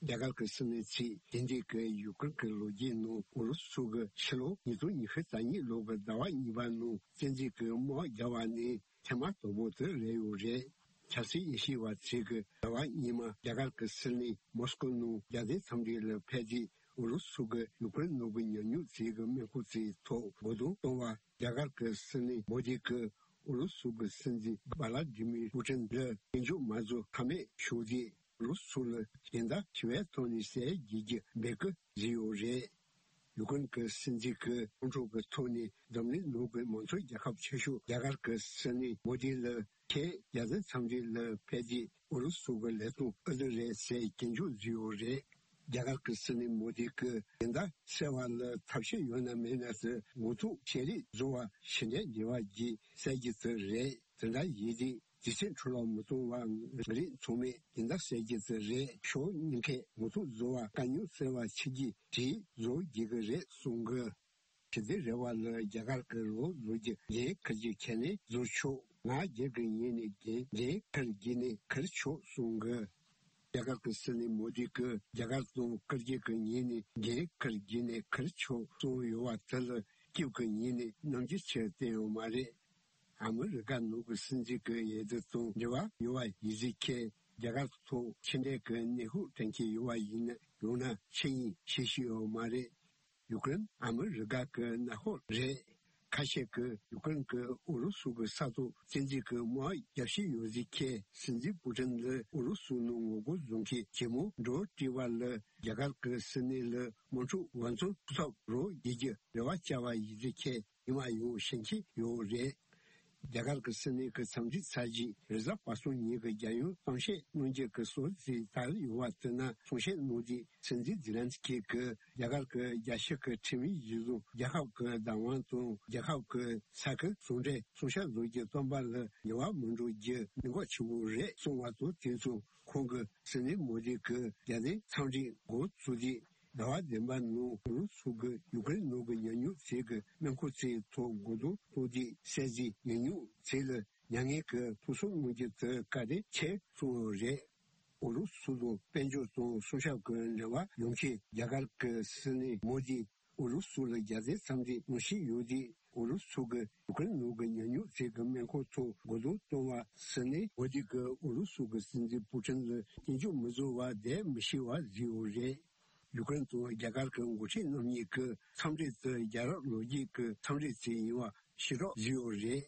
རྒྱ་གར་གྱི་སྲིད་བློན་ཚོས་དེ་འདྲའི་གི་ཡུཀ་རེན་གྱི་ལོ་རྒྱུས་ནང་ཨུ་རུ་སུ་གི་ཕྱི་ལོ་ཉིས་སྟོང་ཉི་ཤུ་རྩ་གཉིས་ལོ་གི་ཟླ་བ་གཉིས་པ་ནང་བཙན་འཛུལ་གྱི་དམག་བརྒྱབ་པ་ནི་ཐེངས་མ་དང་པོ་དེ་རེད་ཡོད་རེད། ཆབ་སྲིད་དབྱེ་ཞིབ་པ་ཚོས་ཀྱི་ཟླ་བ་སྔོན་མ་རྒྱ་གར་གྱི་སྲིད་བློན་མོ་སི་ཀོ་ནང་རྒྱལ་མཚན་འཚམས་འདྲི་ལ་ཕེབས་རྗེས་ཨུ་རུ་སུ་གི་ཡུཀ་རེན་ནང་གི་ཉམས་མྱོང་ཚོའི་གི་མིང་ཁུངས་ཚོའི་ཐོག་རྒོལ་རྡུང་གཏོང་བ། རྒྱ་གར་གྱི་སྲིད་བློན་མོ་དི་གིས་ཨུ་རུ་སུ་གི་སྲིད་འཛིན་བྷ་ལ་ཏི་མིར་པུ་ཏིན་ལ་སྐྱོན་བརྗོད་མ་བཟོ་ཁ་མེད་ཤོད་རྗེས། ཨུ་རུ་སུ་ལ་གཞན་དག་ཞི་བའི་ཐོག་ནས་ཟས་བརྗེ་རྒྱུ་འབོད་སྐུལ་བཟོས་ཡོད་རེད། ཡུཀ་རེན་གྱི་སྲིད་འཛིན་གྱིས་དམག་འཁྲུག་གི་ཐོག་ནས་འཛམ་གླིང་ནང་གི་མང་གཙོ་རྒྱལ་ཁབ་ཆེ་ཤོས་རྒྱ་གར་གྱི་སྲིད་བློན་མོ་དི་ལ་ཁྱེད་རྒྱལ་མཚན་འཚམས་འདྲི་ལ་ཕེབས་རྗེས་ཨུ་རུ་སུ་གི་ལས་དོན་ཨེ་འདྲ་རེད་ཟེར་སྐྱོན་བརྗོད་བཟོས་ཡོད་རེད། རྒྱ་གར་གྱི་སྲིད་བློན་མོ་དི་གིས་སྦྱིན་བདག་བསལ་བ་ལ་ཐབས་ཤེས་ཡོད་ན་མེད་ན་ཟེར་འགོ་ཐོག་ཤེས་རིག་བཟོ་བ་ཕྱི་འབྲེལ་འབྲེལ་བ་བརྒྱུད་གསལ་རྒྱུ་དེ་རེད། དེ་འདྲ་ཡིན་དུས་དུས་ཚོད་འཕྲོ་བརླག་མི་གཏོང་བར་ང་རང་ཚང་མས་སྦྱིན་བདག་བསལ་རྒྱུ་དེ་རེད། ཕྱོགས་གཉིས་ཀས་འགོ་ཐོག་བཟོ་བ་དཀའ་རྙོག་སེལ་བ་ཆེད་ཀྱི་གྲོས་བཟོ་དགོས་ཀྱི་རེད་གསུང་གི། ཞི་བདེ་རེ་བ་ལ་རྒྱ་གར་གྱི་རོགས་བཟོ་རྒྱུ་འགན་འཁུར་རྒྱུ་ཁས་ལེན་བཟོ་ཆོག་ང་སྒེར་གྱི་ངོས་ནས་འགན་འགན་འཁུར་རྒྱུ་ནས་འཁུར་ཆོག་གསུང་གི། རྒྱ་གར་གྱི་སྲིད་བློན་མོ་དི་གིས་རྒྱ་གར་དང་ཀིར་གྱི་གི་ངོས་ནས་འགན་འཁུར་རྒྱུ་ནས་འཁུར་ཆོག་གསུངས་ཡོད་པ་དེ་ལ་ཀིབ་ཀྱི་ངོས་ནས་རྣམ་འགྱུར་ཆེར་བསྟན་ཡོད་མ་རེད། ཨ་མི་རི་ཀ་ནང་གི་སྲིད་འཛིན་གྱི་འོས་བསྡུ་དང་འབྲེལ་བ་ཡོད་པ་ཡིན་ཟེར་མཁན་རྒྱ་གར་ཐོག་ཕྱི་འབྲེལ་གྱི་གནས་སྐབས་དྲན་གྱི་ཡོད་པ་ཡིན་ན་ཡང་ན་ཆི་ཡིན་ཤེས་ཀྱི་ཡོད་མ་རེད། ཡུ་ཀེ་རེན་ཨ་མི་རི་ཀ་གི་མངའ་ཁོངས་རེད། ཁ་ཤས་ཀྱིས་ཡུ་ཀེ་རེན་གྱིས་ཨུ་རུ་སུ་གི་ས་ཐོག་བཙན་འཛུལ་གྱི་དམག་རྒྱག་བཞིན་ཡོད་ཟེར་མཁན་སྲིད་འཛིན་པུ་ཏིན་ལ་ཨུ་རུ་སུ་ནང་ངོ་རྒོལ་བཟོ་མཁན་ཇེ་མང་འགྲོ་བྲིས་པ་ལ་རྒྱ་གར་གྱི་སྲིད་བློན་ལ་དམག་འཁྲུག་འགོ་ཚུགས་ཐབས་རོགས་བྱེད་རྒྱུ་རེ་བ་བཅའ་བ་ཡིན་ཟེར་མཁན་ཉི་མ་ཡང་ཤེས་ཀྱི་ཡོད་རེད། རྒྱ་གར་གྱི་སྲིད་བློན་གྱི་འཚམས་འདྲི་ཚར་རྗེས་རེས་གཟའ་པ་སངས་ཉིན་གྱི་རྒྱལ་ཡོངས་གཏམ་བཤད་གནང་རྒྱུ་གི་སྲོལ་ཞིག་དར་ཡོད་པ་དེ་ན་གསུང་བཤད་གནང་དུས་སྲིད་འཛིན་ཛེ་ལན་སི་ཀི་གིས་རྒྱ་གར་གྱི་རྒྱལ་སྤྱི་གི་ཁྲིམས་ཡིག་གཞིར་བཟུང་རྒྱལ་ཁབ་ཀྱི་བདག་དབང་དང་རྒྱལ་ཁབ་ཀྱི་ས་ཁུལ་ཟུང་འབྲེལ་གསུང་བཤད་བཟོ་རྒྱུ་བཏོན་པ་ལ་ཉེས་པ་མི་འགྲོ་རྒྱུ་གནད་འགག་ཆེ་བོ་རེད་གསུངས་པ་དང་དུས་མཚུངས་ཁོང་གིས་སྲིད་བློན་མོ་དི་གིས་རྒྱལ་བསྟན་འཚམས་འདྲི་འགོ་ཚུགས་དུས། ཟླ་བ་བདུན་པ་ནང་ཨུ་རུ་སུ་གི་ཡུ་ཀེ་རེན་ནང་གི་ཉེས་ཉོག་ཚོ་གི་སྨན་ཁང་ཚོའི་ཐོག་མགོ་རྟིང་གཏོང་དུས་གསལ་གཟིགས་ཉེས་ཉོག་ཚོ་ལ་མྱ་ངན་གྱི་ཐུགས་གསོ་གནང་རྒྱུ་དེ་བཀའ་དྲིན་ཆེ་གསུངས་ཡོད་རེད། ཨུ་རུ་སུ་དང་དཔལ་འབྱོར་དང་སྲུང་སྐྱོབ་ཀྱི་འབྲེལ་བ་ཡོད་མཁན་རྒྱ་གར་གྱི་སྲིད་བློན་མོ་དིས་ཨུ་རུ་སུ་ལ་རྒྱལ་བསྟན་འཚམས་འདྲི་གནང་བཞིན་ཡོད་དུས་ཨུ་རུ་སུ་གིས་ཡུ་ཀེ་རེན་ནང་གི་ཉེས་ཉོག་ཚོ་གི་སྨན་ཁང་ཐོག་མགོ་རྟིང་གཏོང་བ་ཟེར་ནས་མོ་དི་གིས་ཨུ་རུ་སུ་གི་སྲིད་འཛིན་པུ་ཏིན་ལ་སྐྱོན་བརྗོད་མི་བཟོ་བར་བསྡད་མི་ཤེས་པ་བཟོས་ཡོད་རེད། ཡུ་ཀེ་རེན་དང་རྒྱ་གར་གྱི་འགོ་ཁྲིད་རྣམ་གཉིས་ཀྱི་འཚམས་འདྲི་དེ་རྒྱལ་རབས་ལོ་རྒྱུས་ཀྱི་འཚམས་འདྲི་ཞིག་ཡིན་པ་ཕྱིར་སློག་བཟོས་ཡོད་རེད།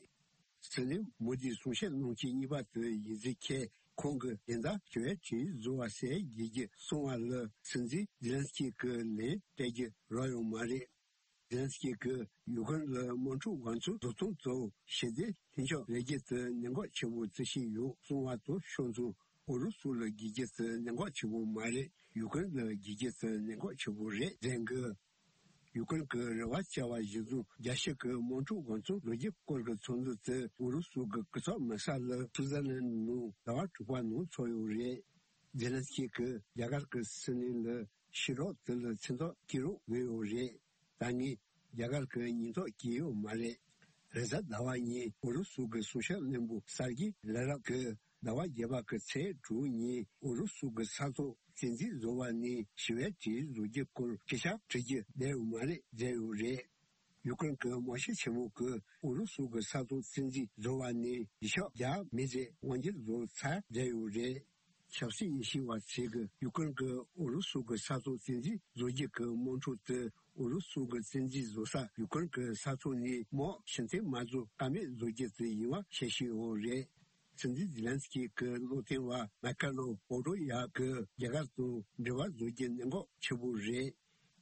སྲིད་བློན་མོ་དིས་གསུང་བཤད་གནང་མཁན་གཉིས་པ་དེ་ཡིན་ཟེར་མཁན་ཁོང་གིས་སྦྱིན་བདག་ཞི་བའི་གྲོས་བཟོ་བ་ཟེར་བགྱིད་རྒྱུ་གསུང་བ་ལ་སྲིད་འཛིན་ཛེ་ལན་སི་ཀི་གིས་ལན་སྤྲད་རྒྱུ་རག་ཡོད་མ་རེད། ཛེ་ལན་སི་ཀི་གིས་ཡུ་ཀེ་རེན་ལ་དམག་འཁྲུག་འགོ་ཚུགས་བཟོ་སྟངས་གཙོ་བོ་ཞི་བདེ་མཐུན་འགྱུར་རེ་རྒྱུ་དེ་གནད་འགག་ཆེ་བོ་བརྩི་བཞིན་ཡོད་གསུང་བ་དང་ཕྱོགས་མཚུངས་ཨུ་རུ་སུ་ལ་བགྱིད་རྒྱུ་དེ་གནད་འགག་ཆེ་བོ་མ་རེད། ཡུ་ཀེ་རེན་ལ་བགྱིད་རྒྱུ་དེ་གནད་འགག་ཆེ་བོ་རེད་ཟེར་གི། ཡུ་ཀེ་རེན་གྱི་རེ་བ་བཅའ་བ་གཞིར་བཟུང་རྒྱལ་སྤྱི་གི་དམག་འཁྲུག་འགོ་ཚུགས་ལོ་རྒྱུས་སྐོར་གྱི་ཚོགས་འདུ་དེ་ཨུ་རུ་སུ་གི་གོ་ས་མེ་ས་ལ་སུའུ་ཛར་ལན་ནང་ཟླ་བ་དྲུག་པ་ནང་ཚོགས་ཡོད་རེད། ཛེ་ལན་སི་ཀི་གིས་རྒྱ་གར་གྱི་སྲིད་བློན་ལ་ཕྱིར་སློག་དེ་ལ་མཚན་རྟགས་བཀོད་རོགས་འབོད་ཡོད་རེད། ད་ངས་རྒྱ་གར་གྱི་སྙིང་སྟོབས་བསྐྱེད་ཡོད་མ་རེད། རེས་གཟའ་ཟླ་བ་ཉིན་ཨུ་རུ་སུ་གི་གསུང་བཤད་བློན་པོ་སར་གི་ལ་རབ་ཀྱིས་ཟླ་བ་བརྒྱད་པ་གི་ཚེས་དྲུག་ཉིན་ཨུ་རུ་སུ་གི་ས་ཐོག་བཙན་འཛུལ་བཟོ་བ་ནས་ཞི་བའི་གྲོས་བཟོ་རྒྱུ་སྐོར་སྐད་ཆ་དྲི་རྒྱུ་བསྡད་ཡོད་མ་རེད་ཟེར་ཡོད་རེད། ཡུ་ཀེ་རེན་གྱི་དམག་སྤྱི་ཆེན་མོ་གིས་ཨུ་རུ་སུ་གི་ས་ཐོག་བཙན་འཛུལ་བཟོ་བ་ནས་ཡིག་ཆ་རྒྱག་མེད་ཟེར་དབང་སྒྱུར་བཟོ་ཚར་བསྡད་ཡོད་རེད། ཆབ་སྲིད་དབྱེ་ཞིབ་པ་ཚོས་ཀྱིས་ཡུ་ཀེ་རེན་གྱིས་ཨུ་རུ་སུ་གི་ས་ཐོག་བཙན་འཛུལ་བཟོ་རྒྱུ་གི་དམག་འཁྲུག་དེ་ཨུ་རུ་སུ་གི་བཙན་འཛུལ་བཟོ་ས་ཡུ་ཀེ་རེན་གྱི་ས་ཐོག་ནས་དམག་ཕྱིར་འཐེན་མ་བཟོ་ཀ་མེད་བཟོ་རྒྱུ་དེ་ཡིན་པ་བཤད་བཞིན་ཡོད་རེད། སྲིད་འཛིན་ཛི་ལན་སི་ཀི་གི་བློ་མཐུན་པ་མ་ཀ་ལོ་པོ་ཏོ་ཡ་གིས་རྒྱ་གར་དང་འབྲེལ་བ་བཟོ་རྒྱུ་གནད་འགག་ཆེ་པོ་རེད།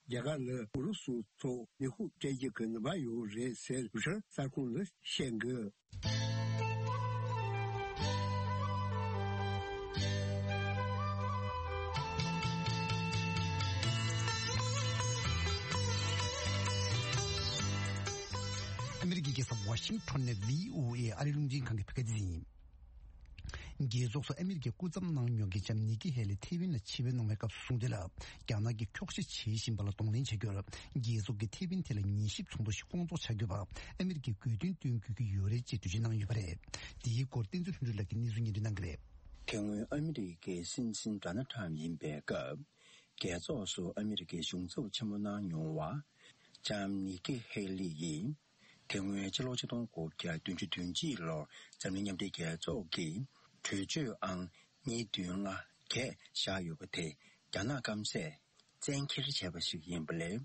རྒྱ་གར་ལ་ཨུ་རུ་སུ་ཐོག་ནུས་ཤུགས་སྤྲད་རྒྱུ་གི་ནུས་པ་ཡོད་རེད་ཟེར་རུ་ཤར་གསར་ཁང་ལ་བཤད་འདུག་ཨ་མི་རི་ཀའི་རྒྱལ་ས་ཝ་ཤིང་ཊོན་ནས་བྷི་ཨོ་ཨེ་ཨ་རིའི་རླུང་འཕྲིན་ཁང་གི་བོད་སྐད་སྡེ་ཚན་ཡིན། རྒྱལ་ཚོགས་སུ་ཨ་མི་རི་ཀའི་སྐུ་ཚབ་གནང་མྱོང་མཁན་ལྕམ་ནི་ཀི་ཧེ་ལི་ཐེ་ཝན་ལ་ཆིབས་བསྒྱུར་གནང་བའི་སྐབས་སུ་གསུངས་དོན་ལ། རྒྱ་ནག་གིས་འཁྱོག་བཤད་བྱེད་བཞིན་པ་ལ་གདོང་ལེན་བྱ་རྒྱུར། རྒྱལ་ཚོགས་ཀྱིས་ཐེ་ཝན་ཐད་ལ་ཉན་ཞིབ་ཚོགས་འདུ་ཞིག་སྐོང་ཚོགས་བྱ་དགོས་པར་ཨ་མི་རི་ཀས་དགོས་འདུན་བཏོན་དགོས་ཀྱི་ཡོད་རེད་ཅེས་འགྲེལ་བརྗོད་གནང་ཡོད་པ་རེད། འདིའི་སྐོར་བསྟན་འཛིན་ལྷུན་གྲུབ་ལགས་ཀྱིས་གནས་ཚུལ་སྙན་སྒྲོན་གནང་གི་རེད། དེ་སྔོན་ཨ་མི་རི་ཀའི་སྲིད་འཛིན་ཌོ་ནལ་ཊམ་ཡིན་པའི་སྐབས། རྒྱལ་ཚོགས་སུ་ཨ་མི་རི་ཀའི་གཞུང་ཚབ་ཆེན་མོ་གནང་མྱོང་བ། ལྕམ་ནི་ཀི་ཧེ་ལི་ཡིས། དེ་སྔོན་ཕྱི་ལོ་ཆིག་སྟོང་དགུ་བརྒྱ་བདུན་ཅུ་དོན་གཅིག་ལོར་འཛམ་གླིང་མཉམ་འབྲེལ་རྒྱལ་ཚོགས་ཀྱིས་གྲོས་ཆོད་ཨང་གཉིས་བདུན་ལྔ་བརྒྱད་བཞག་ཡོད་པ་དེ་རྒྱ་ནག་སྐམ་སས་བཙན་འཁྱེར་བྱས་པ་ཞིག་ཡིན་པ་ལས།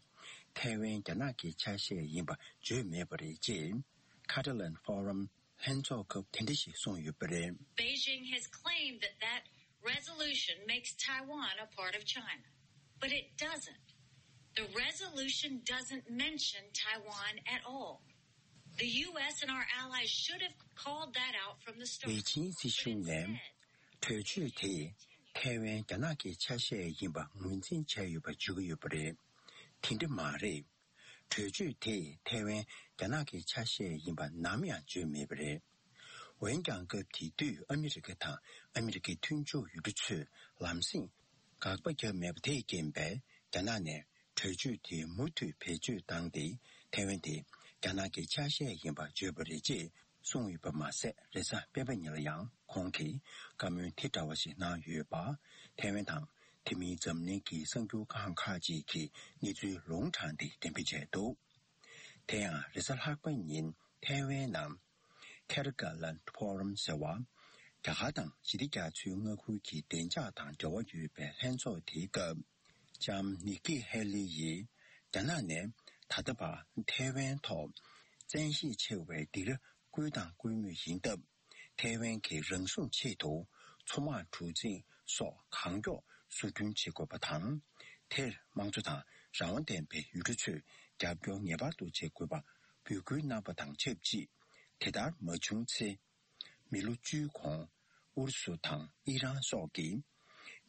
ཐའེ་ཝན་རྒྱ་ནག་གི་ཆ་ཤས་ཡིན་པ་བརྗོད་མེད་པ་རེད་ཅེས། ཁ་ཏ་ལན་ཕོ་རམ་ལྷན་ཚོགས་སྐབས་དེ་འདྲ་ཞིག་གསུངས་ཡོད་པ་རེད། Beijing has claimed that that resolution makes Taiwan a part of China, but it doesn't. The resolution doesn't mention Taiwan at all. The U S and our allies should have called that out from the start. པེ་ཅིང་སྲིད་གཞུང་ནས་གྲོས་ཆོད་དེས་ ཐའེ་ཝན་རྒྱ་ནག་གི་ཆ་ཤས་ཡིན་པ་ངོས་འཛིན་བྱས་ཡོད་པ་བརྗོད་ཀྱི་ཡོད་པ་རེད། དེ་འདྲ་མ་རེད། གྲོས་ཆོད་དེས་ཐའེ་ཝན་རྒྱ་ནག་གི་ཆ་ཤས་ཡིན་པ་ནམ་ཡང་བརྗོད་མེད་པ་རེད། འོན་ཀྱང་སྐབས་དེ་དུས་ཨ་མི་རི་ཀ་དང་ཨ་མི་རི་ཀའི་མཐུན་ཕྱོགས་ཡུལ་གྲུ་ཚོས་ལམ་སེང་དགག་པ་བརྒྱབ་མེད་པ་དེས་རྐྱེན་པས། རྒྱ་ནག་ནས་གྲོས་ཆོད་དེ་མུ་མཐུད་བེད་སྤྱོད་བཏང་སྟེ། ཐའེ་ཝན་དེ་རྒྱ་ནག་གི་ཆ་ཤས་ཡིན་པ་བརྗོད་པ་རེད་ཅེས་གསུངས་ཡོད་པ་མ་ཟད། རེས་གཟའ་སྤེན་པ་ཉིན་ལ་ཡང་ཁོང་གིས་བཀའ་མོལ་དེ་འདྲ་བ་ཞིག་གནང་ཡོད་པ། ཐའེ་ཝན་དང་དེ་མིན་འཛམ་གླིང་གི་གསར་འགྱུར་ཁང་ཁག་ཅིག་གིས་གནས་ཚུལ་ལུང་དྲངས་ཏེ་འགྲེམས་སྤེལ་བྱས་འདུག། དེ་ཡང་རེས་གཟའ་ལྷག་པ་ཉིན་ཐའེ་ཝན་ནང་ཁེ་རི་ཀ་ལན་ཕོ་རམ་ཟེར་བ། རྒྱ་གར་དང་ཞི་བདེ་རྒྱ་མཚོའི་མངའ་ཁུལ་གྱི་བདེ་འཇགས་དང་འབྲེལ་བ་ཡོད་པའི་ལྷན་ཚོགས་དེའི་སྐབས། ལྕམ་ནིག་ཀི་ཧེ་ལི་ཡིས་རྒྱ་ནག་ནས་ད་ལྟ་བར་ཐའེ་ཝན་ཐོག་བཙན་ཤེད་ཆེ་བའི་སྡིགས་ར་བསྐུལ་དང་བསྐུལ་མུས་ཡིན་སྟབས། ཐའེ་ཝན་གྱི་རང་སྲུང་ཆེད་དུ་མཚོ་དམག་གྲུ་གཟིངས་སོགས་གང་མགྱོགས་བཟོ་སྐྲུན་བྱེད་དགོས་པ་དང་། དེར་དམངས་གཙོ་དང་རང་དབང་ལྡན་པའི་ཡུལ་གྲུ་ཚོས་རྒྱབ་སྐྱོར་ངེས་པར་དུ་བྱེད་དགོས་པ་འབོད་སྐུལ་གནང་བ་དང་ཆབས་ཅིག། དེ་ལྟར་མ་བྱུང་ཚེ། མི་ལོ་བཅུའི་གོང་ཨུ་རུ་སུ་དང་ཨི་རན་སོགས་ཀྱིས་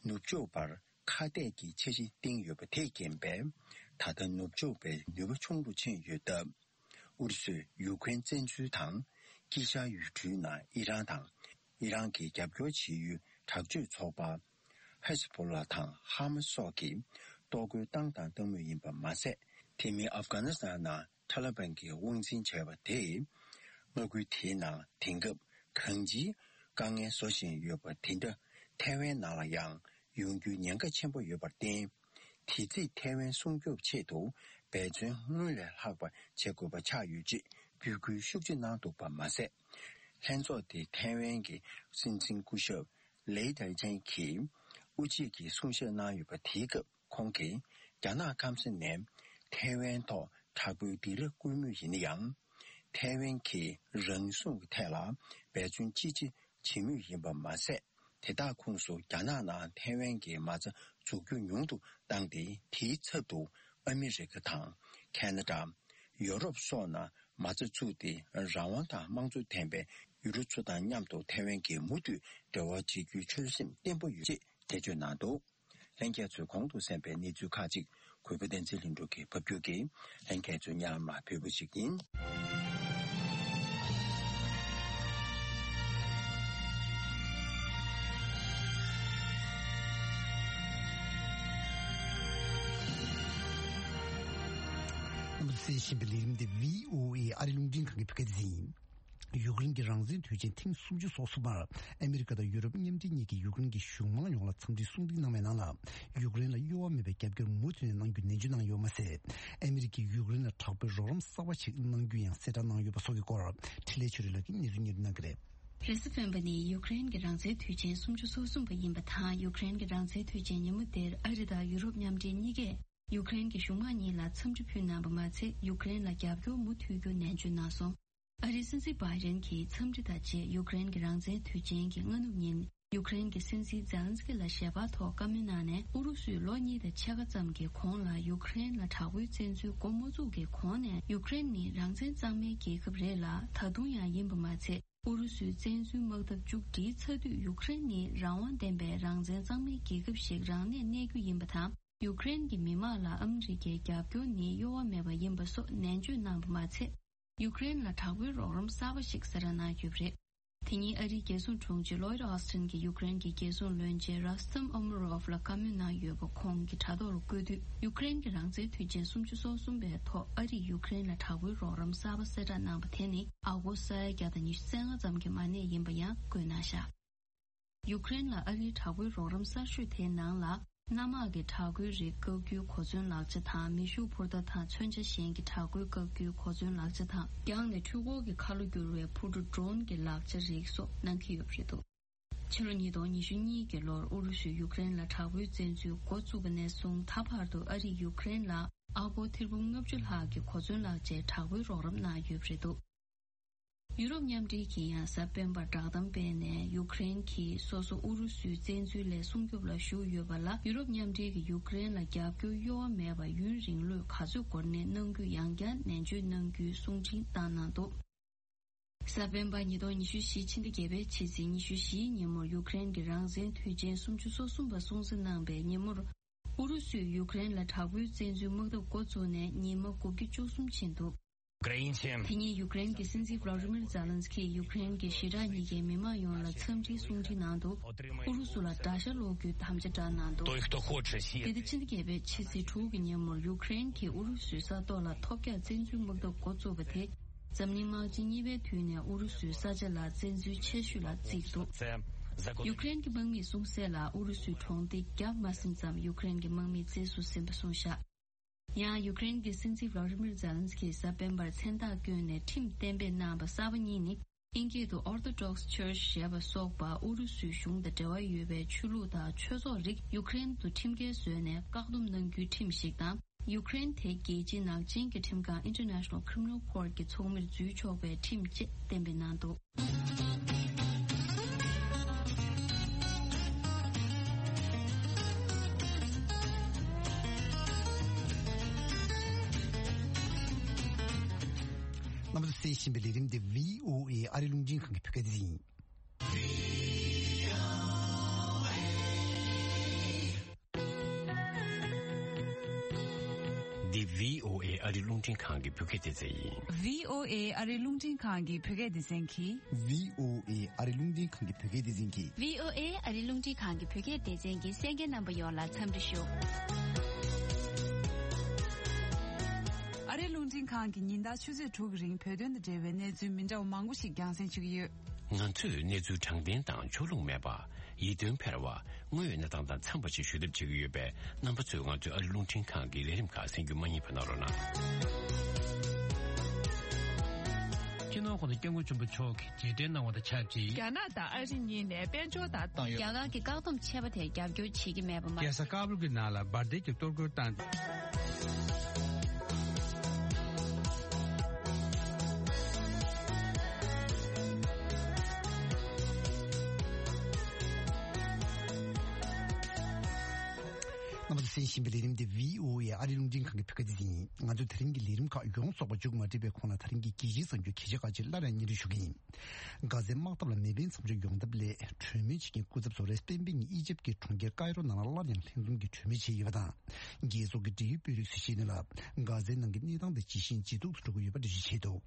ནུབ་ཕྱོགས་པར་ཁ་གཏད་ཀྱི་འཆར་གཞི་བཏིང་ཡོད་པ་དེས་རྐྱེན་པས། ད་ལྟ་ནུབ་ཕྱོགས་པའི་ནུས་པ་ཆུང་རུ་ཕྱིན་ཡོད་སྟབས། ཨུ་རུ་སུས་ཡུ་ཀེ་རེན་བཙན་འཛུལ་དང་དཀྱིལ་ཤར་ཡུལ་གྲུའི་ནང་ཨི་རན་དང་ཨི་རན་གྱི་རྒྱབ་སྐྱོར་བྱེད་ཡུལ་དྲག་སྤྱོད་ཚོགས་པ་ཧེ་ཟ་བྷོ་ལ་དང་ཧ་མ་སི་སོགས་ཀྱིས་གཏོར་རྒོལ་བཏང་དང་བཏང་མུས་ཡིན་པ་མ་ཟད། དེ་མིན་ཨབ་གྷ་ནི་སི་ཐན་ནང་ཐ་ལི་བན་གྱིས་དབང་འཛིན་བྱས་པ་དེས། མངའ་ཁུལ་དེའི་ནང་དེང་སྐབས་གང་ཅིའི་དཀའ་ངལ་བཟོ་བཞིན་ཡོད་པ་དེ་འདྲ་ཐའེ་ཝན་ནང་ལ་ཡང་ཡོང་རྒྱུའི་ཉེན་ཁ་ཆེན་པོ་ཡོད་པར་བརྟེན། དེ་རྩིས་ཐའེ་ཝན་སྲུང་སྐྱོབ་ཆེད་དུ་འབད་བརྩོན་སྔོན་ལས་ལྷག་པ་བྱེད་དགོས་པ་ཆགས་ཡོད་ཅེས་འབོད་སྐུལ་ཤུགས་ཆེ་གནང་འདུག་པ་མ་ཟད། ལྷན་ཚོགས་དེའི་ཐའེ་ཝན་གྱི་སྲིད་འཛིན་སྐུ་ཞབས་ལེ་ཏའེ་ཅན་གྱིས་དབུ་འབྱེད་ཀྱི་གསུང་བཤད་གནང་ཡོད་པ་དེའི་སྐབས། ཁོང་གིས་རྒྱ་ནག་སྐམ་ས་ནས་ཐའེ་ཝན་ཐོག་དྲག་པོའི་སྡིགས་ར་བསྐུལ་མུས་ཡིན་ན་ཡང་། ཐའེ་ཝན་གྱི་རང་སྲུང་གི་ཐད་ལ་འབད་བརྩོན་ཅི་ཆེ་བྱེད་མུས་ཡིན་པ་མ་ཟད། དེ་དག་ཁོངས་སུ་རྒྱ་ནག་ནང་ཐའེ་ཝན་གྱི་མ་རྩ་འཛུགས་རྒྱུ་ཉུང་དུ་བཏང་སྟེ། དེའི་ཚབ་ཏུ་ཨ་མི་རི་ཀ་དང་ཁེ་ན་ཌ། ཡོ་རོབ་སོགས་ནང་མ་རྩ་བཙུགས་ཏེ། རང་དབང་དང་དམངས་གཙོ་ལྡན་པའི་ཡུལ་གྲུ་ཚོ་དང་མཉམ་དུ་ཐའེ་ཝན་གྱིས་མུ་མཐུད་འབྲེལ་བ་བྱེད་རྒྱུའི་ཆོད་སེམས་བརྟན་པོ་ཡོད་ཅེས་འགྲེལ་བརྗོད་གནང་འདུག། ལྷན་རྒྱས་ཚོས་གོང་དུ་གསན་པའི་གནས་ཚུལ་ཁག་ཅིག་གུས་པ་བསྟན་འཛིན་ལྷུན་གྲུབ་ཀྱིས་ཕབ་སྒྱུར་གྱིས་ལྷན་རྒྱས་ཚོའི་སྙན་ལམ་ལ་ཕུལ་བ་ཞིག་ཡིན། རྣམ་པ་ཚོས་གསན་བཞིན་པའི་ལས་རིམ་འདི་བྷི་ཨོ་ཨེ་ཨ་རི་རླུང་འཕྲིན་ཁང་གི་བོད་སྐད་སྡེ་ཚན་ཡིན། ཡུཀ་རེན་གྱི་རང་བཙན་དུས་ཆེན་ཐེངས་སུམ་ཅུ་སོ་གསུམ་པར་ཨ་མེ་རི་ཀ་དང་ཡུ་རོབ་མཉམ་འབྲེལ་གཉིས་ཀྱིས་ཡུཀ་རེན་གྱི་གཞུང་མང་ཡོངས་ལ་འཚམས་འདྲིའི་གསུང་འདེགས་གནང་བའི་ནང་ལ། ཡུཀ་རེན་ལ་གཡོ་བ་མེད་པའི་རྒྱབ་སྐྱོར་མུ་མཐུད་ནས་གནང་རྒྱུ་ནན་བརྗོད་གནང་ཡོད་མ་ཟད། ཨ་མེ་རི་ཀས་ཡུཀ་རེན་ལ་དྲག་པོའི་རོགས་རམ་གསར་པ་ཞིག་གནང་རྒྱུ་ཡང་གསལ་བསྒྲགས་གནང་ཡོད་པ་སོགས་ཀྱི་སྐོར། འཕྲིན་ལས་ཆོས་སྒྲོན་ལགས་ཀྱིས་གནས་ཚུལ་སྙན་སྒྲོན་གནང་གི་རེད། རེས་གཟའ་སྤེན་པ་ནི་ཡུཀ་རེན་གྱི་རང་བཙན་དུས་ཆེན་སུམ་ཅུ་སོ་གསུམ་པ་ཡིན་པ་དང་། ཡུཀ་རེན་གྱི་རང་བཙན་དུས་ཆེན་ཉིན་མོ་དེར་ཨ་རི་དང་ཡུ་རོབ་མཉམ་འབྲེལ་གཉིས་ཀས། ཡུཀ་རེན་གྱི་གཞུང་མང་གཉིས་ལ་འཚམས་འདྲི་ཕུལ་གནང་བ་མ་ཚད། ཡུཀ་རེན་ལ་རྒྱབ་སྐྱོར་མུ་མཐུད་རྒྱུ་ནན་བརྗོད་གནང་སོང་། ཨ་རིའི་སྲིད་འཛིན་བྷའི་ཌེན་གྱིས་འཚམས་འདྲི་དང་བཅས་ཡུཀ་རེན་གྱི་རང་བཙན་དུས་ཆེན་གྱི་སྔ་ནུབ་ཉིན། ཡུཀ་རེན་གྱི་སྲིད་འཛིན་ཛེ་ལན་སི་ཀི་ལ་ཞལ་པར་ཐོག་བཀའ་མོལ་གནང་ནས། ཨུ་རུ་སུས་ལོ་གཉིས་དང་ཕྱེད་ཀ་ཙམ་གྱི་གོང་ལ་ཡུཀ་རེན་ལ་དྲག་པོའི་བཙན་འཛུལ་འགོ་མ་བཙུགས་ཀྱི་གོང་ནས། ཡུཀ་རེན་ནི་རང་བཙན་གཙང་མའི་རྒྱལ་ཁབ་རེད་ལ། ད་དུང་ཡང་ཡིན་པ་མ་ཚད། ཨུ་རུ་སུས་བཙན་འཛུལ་དམག་འཐབ་མཇུག་སྒྲིལ་ཚར་དུས། ཡུཀ་རེན་ནི་རང་དབང་ལྡན་པའི་རང་བཙན་གཙང་མའི་རྒྱལ་ཁབ་ཞིག་རང་གནས་གནས་རྒྱུ་ཡིན་པ་དང་། ཡུཀ་རེན་གྱི་མི་དམངས་ལ་ཨ་མི་རི་ཀའི་རྒྱབ་སྐྱོར་ནི་གཡོ་བ་མེད་པ་ཡིན་པ་སོགས་ནན་བརྗོད་གནང་བ་མ་ཚད། ཡུཀ་རེན་ལ་དྲག་པོའི་རོགས་རམ་གསར་པ་ཞིག་གསལ་བསྒྲགས་གནང་ཡོད་པ་རེད། དེ་ཉིན་ཨ་རིའི་རྒྱལ་སྲུང་དྲུང་ཆེ་ལོའིད་ཨོ་སི་ཊིན་གྱིས་ཡུཀ་རེན་གྱི་རྒྱལ་སྲུང་བློན་ཆེན་རོ་སི་ཏམ་ཨོ་མོ་རོབ་ལ་བཀའ་མོལ་གནང་ཡོད་པ་ཁོང་གི་དྲ་ཐོག་ལ་བཀོད་དུས། ཡུཀ་རེན་གྱི་རང་བཙན་དུས་ཆེན་སུམ་ཅུ་སོ་གསུམ་པའི་ཐོག་ཨ་རིས་ཡུཀ་རེན་ལ་དྲག་པོའི་རོགས་རམ་གསར་པ་གསལ་བསྒྲགས་གནང་བ་དེ་ནི་ཨ་གོ་སི་ས་ཡ་བརྒྱ་དང་ཉི་ཤུ་རྩ་ལྔ་ཙམ་གྱི་མ་གནས་ཡིན་པ་ཡང་བཀོད་གནང་བཞག། ཡུཀ་རེན་ལ་ཨ་རིའི་དྲག་པོའི་རོགས་རམ་གསར་ཤོས་དེའི་ནང་ལ། གནམ་དམག་གི་དྲག་རྒོལ་རིགས་བཀག་རྒྱུའི་གོ་མཚོན་ལག་ཆ་དང་། མེ་ཤུགས་འཕུར་མདའ་དང་མཚོན་ཆ་གཞན་གྱི་དྲག་རྒོལ་བཀག་རྒྱུའི་གོ་མཚོན་ལག་ཆ་དང་། རྒྱང་ནས་འཕྲུལ་འཁོར་གྱི་ཁ་ལོ་བསྒྱུར་བའི་འཕུར་གྲུ་ཌོ་རོན་གྱི་ལག་ཆ་རིགས་སོགས་གནང་གི་ཡོད་པ་རེད་འདུག། ཕྱི་ལོ་ཉིས་སྟོང་ཉི་ཤུ་གཉིས་ཀྱི་ལོར་ཨུ་རུ་སུས་ཡུཀ་རེན་ལ་དྲག་པོའི་བཙན་འཛུལ་འགོ་བཙུགས་པ་ནས་བཟུང་ད་བར་དུ་ཨ་རིས་ཡུཀ་རེན་ལ་ཨ་སྒོར་ཐེར་འབུམ་ལྔ་བཅུ་ལྷག་གི་གོ་མཚོན་ལག་ཆའི་དྲག་པོའི་རོགས་རམ་གནང་ཡོད་པ་རེད་འདུག། ཡུ་རོབ་མཉམ་འབྲེལ་གྱིས་ཡང་གཟའ་སྤེན་པར་བསྒྲགས་གཏམ་སྤེལ་ནས། ཡུཀ་རེན་གྱིས་སོ་སོ་ཨུ་རུ་སུའི་བཙན་འཛུལ་ལས་སྲུང་སྐྱོབ་ལ་ཞུགས་ཡོད་པ་ལ། ཡུ་རོབ་མཉམ་འབྲེལ་གྱིས་ཡུཀ་རེན་ལ་རྒྱབ་སྐྱོར་གཡོ་བ་མེད་པ་ཡུན་རིང་ལོས་ག་ཚོད་འགོར་ནའི་གནང་རྒྱུ་ཡང་བསྐྱར་ནན་བརྗོད་གནང་རྒྱུའི་གསུང་འཕྲིན་བཏང་གནང་འདུག། གཟའ་སྤེན་པ་ཉིས་སྟོང་ཉི་ཤུ་བཞི་ཕྱི་ཟླ་བརྒྱད་པའི་ཕྱི་ཚེས་ཉི་ཤུ་བཞིའི་ཉིན་མོར་ཡུཀ་རེན་གྱི་རང་བཙན་དུས་ཆེན་སུམ་ཅུ་སོ་གསུམ་པ་སྲུང་བརྩི་གནང་པའི་ཉིན་མོར། ཨུ་རུ་སུས་ཡུཀ་རེན་ལ་དྲག་པོའི་བཙན་འཛུལ་དམག་འཐབ་འགོ་བཙུགས་ ནས་ཉིན་མ་དགུ་བརྒྱ་བཅུ་གསུམ་ཕྱིན་འདུག་དེ་ཉིན་ཡུཀ་རེན་གྱི་སྲིད་འཛིན་ཝླ་ཌི་མིར་ཛེ་ལན་སི་ཀིས་ཡུཀ་རེན་གྱི་ཞི་དྲག་གཉིས་ཀའི་མི་མང་ཡོངས་ལ་འཚམས་འདྲིའི་གསུང་འཕྲིན་གནང་འདུག་ཨུ་རུ་སུ་ལ་དགྲ་ཤ་སློག་རྒྱུའི་དམ་བཅའ་བསྒྲགས་གནང་འདུག་འདི་ཟླ་བཅུ་གཅིག་པའི་ཕྱི་ཚེས་དྲུག་གི་ཉིན་མོར་ཡུཀ་རེན་གྱིས་ཨུ་རུ་སུའི་ས་ཐོག་ལ་ཐོལ་རྒྱག་བཙན་འཛུལ་དམག་འཐབ་འགོ་བཙུགས་པ་དེ། འཛམ་གླིང་དམག་ཆེན་གཉིས་པའི་དུས་ནས་ཨུ་རུ་སུའི་ས་ཆ་ལ་བཙན་འཛུལ་ཆེ་ཤོས་ལ་བརྩིས་འདུག་ཡུཀ་རེན་གྱི་དམག་མིས་གསུངས་གསལ་ལ། ཨུ་རུ་སུའི་གྲོང་སྡེ་བརྒྱ་མ་ཟིན་ཙམ་ཡུཀ་རེན་གྱི་དམག་མིས་རྩིས་སུ་ཟིན་པ་གསུངས་བཞག་ཡང་ཡུཀ་རེན་གྱི་སྲིད་འཛིན་ཝླ་ཌི་མིར་ཛེ་ལན་སི་ཀིས་གཟའ་སྤེན་པར་མཚན་རྟགས་བསྐྱོན་ནས་ཁྲིམས་གཏན་འབེབས་གནང་བ་གསར་པ་གཉིས་ནི། དབྱིན་སྐད་དུ་Orthodox Church ཞེས་པ་སོགས་པ་ཨུ་རུ་སུའི་གཞུང་དང་འབྲེལ་བ་ཡོད་པའི་ཆོས་ལུགས་དང་ཆོས་ཚོགས་རིགས་ཡུཀ་རེན་དུ་ཁྲིམས་འགལ་བཟོས་ནས་བཀག་སྡོམ་གནང་རྒྱུའི་ཁྲིམས་ཤིག་དང་། ཡུཀ་རེན་དེ་རྒྱལ་སྤྱིའི་ནག་ཅན་གྱི་ཁྲིམས་ཁང་International Criminal Court གྱི་ཚོགས་མིར་འཛུལ་ཆོག་པའི་ཁྲིམས་བཅས་གཏན་འབེབས་གནང་འདུག་རྣམ་པ་ཚོས་གསན་བཞིན་པའི་ལས་རིམ་འདི་བྷི་ཨོ་ཨེ་ཨ་རི་རླུང་འཕྲིན་ཁང་གི་བོད་སྐད་སྡེ་ཚན་ཡིན། འདི་བྷི་ཨོ་ཨེ་ཨ་རི་རླུང་འཕྲིན་ཁང་གི་བོད་སྐད་སྡེ་ཚན་ཡིན། བྷི་ཨོ་ཨེ་ཨ་རི་རླུང་འཕྲིན་ཁང་གི་བོད་སྐད་སྡེ་ཚན་གྱིས། བྷི་ཨོ་ཨེ་ཨ་རི་རླུང་འཕྲིན་ཁང་གི་བོད་སྐད་སྡེ་ཚན་གྱིས། བྷི་ཨོ་ཨེ་ཨ་རི་རླུང་འཕྲིན་ཁང་གི་བོད་སྐད་སྡེ་ཚན་གྱི་གསན་མཁན་རྣམ་པ་ཡོངས་ལ་འཚམས་འདྲི་ཞུ། ཨ་རི་རླུང་འཕྲིན་ཁང་གིས་ཉིན་ལྟར་ཆུ་ཚོད་དྲུག་གི་རིང་བོད་དོན་དང་འབྲེལ་བའི་གནས་ཚུལ་མི་འདྲ་བ་མང་པོ་ཞིག་རྒྱང་སྲིང་ཞུ་གི་ཡོད། ང་ཚོས་གནས་ཚུལ་དྲང་བདེན་དང་ཕྱོགས་ལྷུང་མེད་པ། ཡིད་རྟོན་འཕེར་བ། དངོས་ཡོད་གནས་སྟངས་དང་འཚམས་པ་ཞིག་ཞུ་ཐབས་བྱེད་ཀྱི་ཡོད་པས། རྣམ་པ་ཚོས་ང་ཚོའི་ཨ་རི་རླུང་འཕྲིན་ཁང་གི་ལས་རིམ་ཁག་གསན་རྒྱུ་མ་བསྙེལ་བ་གནང་རོགས་གནང་། སྤྱི་ནོར་གོང་ས་སྐྱབས་མགོན་ཆེན་པོ་མཆོག་གིས་རྗེས་དྲན་གནང་བ་དང་ཆབས་ཅིག་རྒྱ་ནག་དང་ཨ་རི་གཉིས་ནས་དཔལ་འབྱོར་དང་། བཏང་ཡོད། རྒྱ་གར་གྱི་བཀག་སྡོམ་ཆད་པ་དེར་རྒྱབ་སྐྱོར་བྱེད་ཀྱི་མེད་པ་མ། རྒྱལ་ས་ཀ་བུལ་གྱི་ནང་ལ་འབར་མདེལ་གྱི་གཏོར་རྒོལ་བཏང་། རྣམ་པ་ཚོས་གསན་བཞིན་པའི་ལས་རིམ་འདི་བྷི་ཨོ་ཨེ་ཨ་རི་རླུང་འཕྲིན་ཁང་གི་བོད་སྐད་སྡེ་ཚན་ཡིན། ང་ཚོས་དེ་རིང་གི་ལས་རིམ་ཁག་ཡོངས་རྫོགས་པ་མཇུག་མ་སྒྲིལ་བའི་གོང་ལ། དེ་རིང་གི་རྒྱལ་སྤྱིའི་གསར་འགྱུར་གལ་ཆེ་ཁག་ཅིག་སླར་ཡང་སྙན་སྒྲོན་ཞུ་གི་ཡིན། གྷ་ཛའི་དམག་འཐབ་ལ་མེ་འཕེན་མཚམས་འཇོག་ཡོང་ཐབས་སླད་གྲོས་མོལ་བྱེད་མཁན་སྐུ་ཚབ་ཚོ་རེས་གཟའ་སྤེན་པའི་ཉིན་ཨི་ཇིབ་ཀྱི་གྲོང་ཁྱེར་ཀའི་རོ་ནང་ལ་སླར་ཡང་ལྷན་འཛོམས་ཀྱིས་གྲོས་མོལ་བྱས་ཡོད་པ་དང་། རྒྱལ་ཚོགས་ཀྱི་འབྲེལ་ཡོད་དཔོན་རིགས་ཚོས་བཤད་དོན་ལ། གྷ་ཛའི་ནང་གི་གནས་སྟངས་དེ་ཇི་བཞིན་ཇེ་སྡུག་ཏུ་འགྲོ་གི་ཡོད་པ་འགྲེལ་བརྗོད་བྱས་འདུག་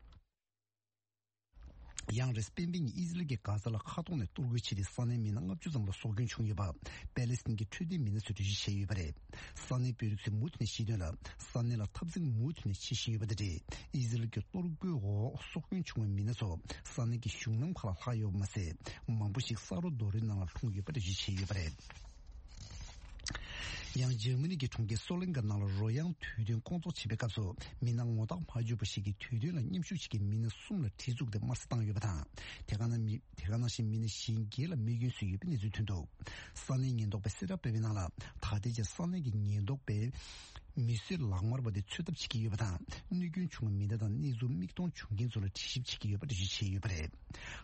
ཡང་རེས་གཟའ་སྤེན་པའི་ཉིན་ཨི་ཟི་རལ་གྱིས་གྷ་ཛ་ལ་མཁའ་ཐོག་ནས་གཏོར་རྒོལ་བྱས་ཏེ། ས་གནས་མི་སྣ་ལྔ་བཅུ་ཙམ་ལ་སྲོག་སྐྱོན་བྱུང་ཡོད་པ་པེ་ལེ་སི་ཐན་གྱི་འཕྲོད་བསྟེན་མི་སྣ་ཚོས་འགྲེལ་བརྗོད་བྱས་ཡོད་པ་རེད། ས་གནས་དཔོན་རིགས་ཚོས་མུ་མཐུད་ནས་བཤད་དོན་ལ། ས་གནས་ལ་འཐབ་འཛིང་མུ་མཐུད་ནས་བྱེད་བཞིན་ཡོད་པ་དང་འབྲེལ། ཨི་ཟི་རལ་གྱི་གཏོར་རྒོལ་འོག་སྲོག་སྐྱོན་བྱུང་བའི་མི་སྣ་ཚོ་ས་གནས་ཀྱི་གཞུང་ལམ་ཁག་ལ་ལྷག་ཡོད་པ་མ་ཟད། མང་པོ་ཞིག་ས་རོ་རྡོ་རོའི་ནང་ལ་ལྷུང་ཡོད་པ་འགྲེལ་བརྗོད་བྱས་ཡོད་པ་རེད། ཡང་འཇར་མ་ནི་གི་གྲོང་ཁྱེར་སོ་ལེན་ཀ་ནང་ལ་རོལ་དབྱངས་དུས་སྟོན་སྐོང་ཚོགས་བྱེད་པའི་སྐབས་སུ། མི་སྣ་ངོ་རྟགས་མ་བརྗོད་པ་ཞིག་གིས་དུས་སྟོན་ལ་མཉམ་ཞུགས་བྱེད་མཁན་མི་སྣ་གསུམ་ལ་གྲི་བཙུགས་ཏེ་དམར་གསོད་བཏང་ཡོད་པ་དང་། དེ་ག་ནང་མི། དེ་ག་ནང་བཞིན་མི་སྣ་གཞན་བརྒྱད་ལ་རྨས་སྐྱོན་བཟོས་ཡོད་པའི་གནས་ཚུལ་ཐོན་འདུག་ས་གནས་ཉེན་རྟོག་པས་གསལ་བསྒྲགས་སྤེལ་བའི་ནང་ལ། ད་ལྟའི་ཆར་ས་གནས་ཀྱི་ཉེན་རྟོག་པས་མི་གསོད་ལག་དམར་བ་དེ་འཚོལ་ཐབས་བྱེད་ཀྱི་ཡོད་པ་དང་། གནོད་སྐྱོན་བྱུང་བའི་མི་སྣ་དང་གནས་ཚུལ་མིག་མཐོང་བྱུང་མཁན་ཚོ་ལ་དྲི་ཞིབ་བྱེད་ཀྱི་ཡོད་པ་འགྲེལ་བརྗོད་བྱས་ཡོད་པ་རེད།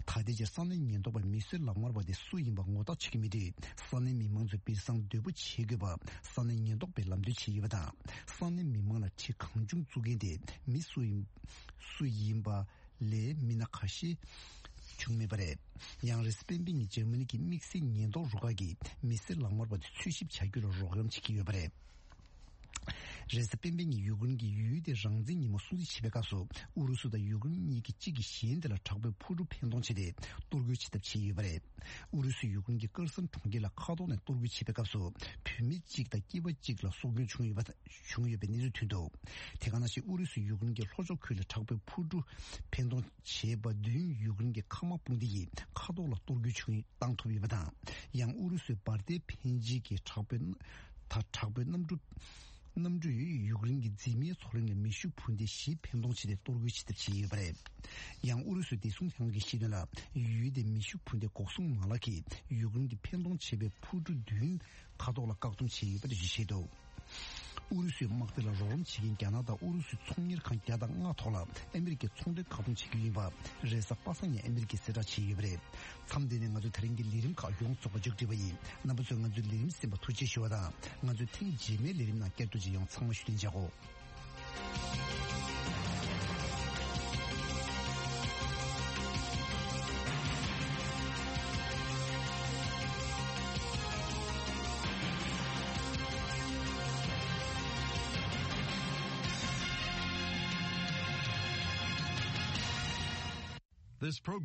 ད་ལྟའི་ཆར་ས་གནས་ཉེན་རྟོག་པས་མི་གསོད་ལག་དམར་བ་དེ་སུ་ཡིན་པ་ངོ་རྟགས་བྱེད་ཀྱི་མེད་དུས། ས་གནས་མི་མང་ཚོས་སྦིར་སང་སྡོད་པོ་བྱེད་དགོས་པ་ས་གནས་ཉེན་རྟོག་པས་ལམ་སྟོན་བྱས་ཡོད་པ་དང་། ས་གནས་མི་མང་ལ་གྲི་གང་བྱུང་བཙུགས་མཁན་དེ་མི་སུ་ཡིན། སུ་ཡིན་པ་ལས་མི་སྣ་ཁ་ཤས་བྱུང་མེད་པ་རེད། ཡང་རེས་གཟའ་སྤེན་པའི་ཉིན་འཇར་མ་ནི་གི་དམིགས་བསལ་ཉེན་རྟོག་རུ་ཁག་གིས་མི་གསོད་ལག་དམར་བ་དེ་འཚོལ་ཞིབ་བྱ་རྒྱུ་ལ་རོགས་རམ་བྱེད་ཀྱི་ཡོད་པ་རེད། རེས་གཟའ་སྤེན་པའི་ཉིན་ཡུཀ་རེན་གྱི་ཡུལ་དེ་རང་བཙན་ཉིན་མོ་སྲུང་བརྩི་བྱེད་པའི་སྐབས་སུ། ཨུ་རུ་སུ་དང་ཡུཀ་རེན་གཉིས་ཀྱིས་གཅིག་གིས་གཞན་དེ་ལ་དྲག་པོའི་འཕུར་གྲུ་འཕེན་གཏོང་བྱས་ཏེ་གཏོར་རྒོལ་བྱེད་ཐབས་བྱས་ཡོད་པ་རེད། ཨུ་རུ་སུས་ཡུཀ་རེན་གྱི་ཀར་སན་གྲོང་ཁྱེར་ལ་མཁའ་ཐོག་ནས་གཏོར་རྒོལ་བྱེད་པའི་སྐབས་སུ། བུད་མེད་གཅིག་དང་སྐྱེས་པ་གཅིག་ལ་སྲོག་སྐྱོན་བྱུང་ཡོད་པ། བྱུང་ཡོད་པའི་གནས་ཚུལ་ཐོན་འདུག་དེ་ག་ནང་བཞིན་ཨུ་རུ་སུས་ཡུཀ་རེན་གྱི་ལྷོ་ཕྱོགས་ཁུལ་ལ་དྲག་པོའི་འཕུར་གྲུ་འཕེན་གཏོང་བྱས་པ་བདུན་ཡུཀ་རེན་གྱི་མཁའ་དམག་དཔུང་སྡེ་ཡིས་མཁའ་ཐོག་ལ་གཏོར་རྒོལ་བྱུང་བཏང་ཐུབ་ཡོད་པ་དང་། ཡང་ཨུ་རུ་སུས་འབར་མདེལ་འཕེན་བྱེད་ཀྱི་དྲག་པོའི་ད་དྲག་པོའི་གནམ་གྲུ། གནམ་གྲུས་ཡུཀ་རེན་གྱི་འཛིན་མའི་མཚོ་གླིང་ལ་མེ་ཤུགས་འཕུར་མདེལ་བཞི་འཕེན་གཏོང་བྱས་ཏེ་གཏོར་རྒོལ་བྱེད་ཐབས་བྱས་ཡོད་པ་རེད། ཡང་ཨུ་རུ་སུས་བདེ་སྲུང་ལྷན་ཁང་གིས་བཤད་དོན་ལ། ཡུལ་དེའི་མེ་ཤུགས་འཕུར་མདེལ་འགོག་སྲུང་མ་ལག་གིས་ཡུཀ་རེན་གྱིས་འཕེན་གཏོང་བྱས་པའི་འཕུར་གྲུ་བདུན་མཁའ་ཐོག་ལ་བཀག་སྡོམ་བྱས་ཡོད་པ་འགྲེལ་བརྗོད་བྱས་འདུག་ཨུ་རུ་སུའི་དམག་སྡེ་ལ་རོགས་རམ་བྱེད་མཁན་རྒྱ་ནག་དང་ཨུ་རུ་སུའི་ཚོང་གཉེར་ཁང་བརྒྱ་དང་ལྔ་ཐོག་ལ་ཨ་མི་རི་ཀས་ཚོང་དོན་བཀག་སྡོམ་བྱེད་རྒྱུ་ཡིན་པ་རེས་གཟའ་པ་སངས་ཉིན་ཨ་མི་རི་ཀས་གསལ་བསྒྲགས་བྱས་ཡོད་པ་རེད། མཚམས་འདི་ནས་ང་ཚོས་དེ་རིང་གི་ལས་རིམ་ཁག་ཡོངས་རྫོགས་པ་མཇུག་བསྒྲིལ་བ་ཡིན། རྣམ་པ་ཚོས་ང་ཚོའི་ལས་རིམ་གསན་པར་ཐུགས་རྗེ་ཆེ་ཞུ་བ་དང་། ང་ཚོའི་ཐེངས་རྗེས་མའི་ལས་རིམ་ནང་བསྐྱར་དུ་མཇལ་ཡོང་། ཚང་མ་བཞུགས་གདན་འཇགས་སྒོ། This program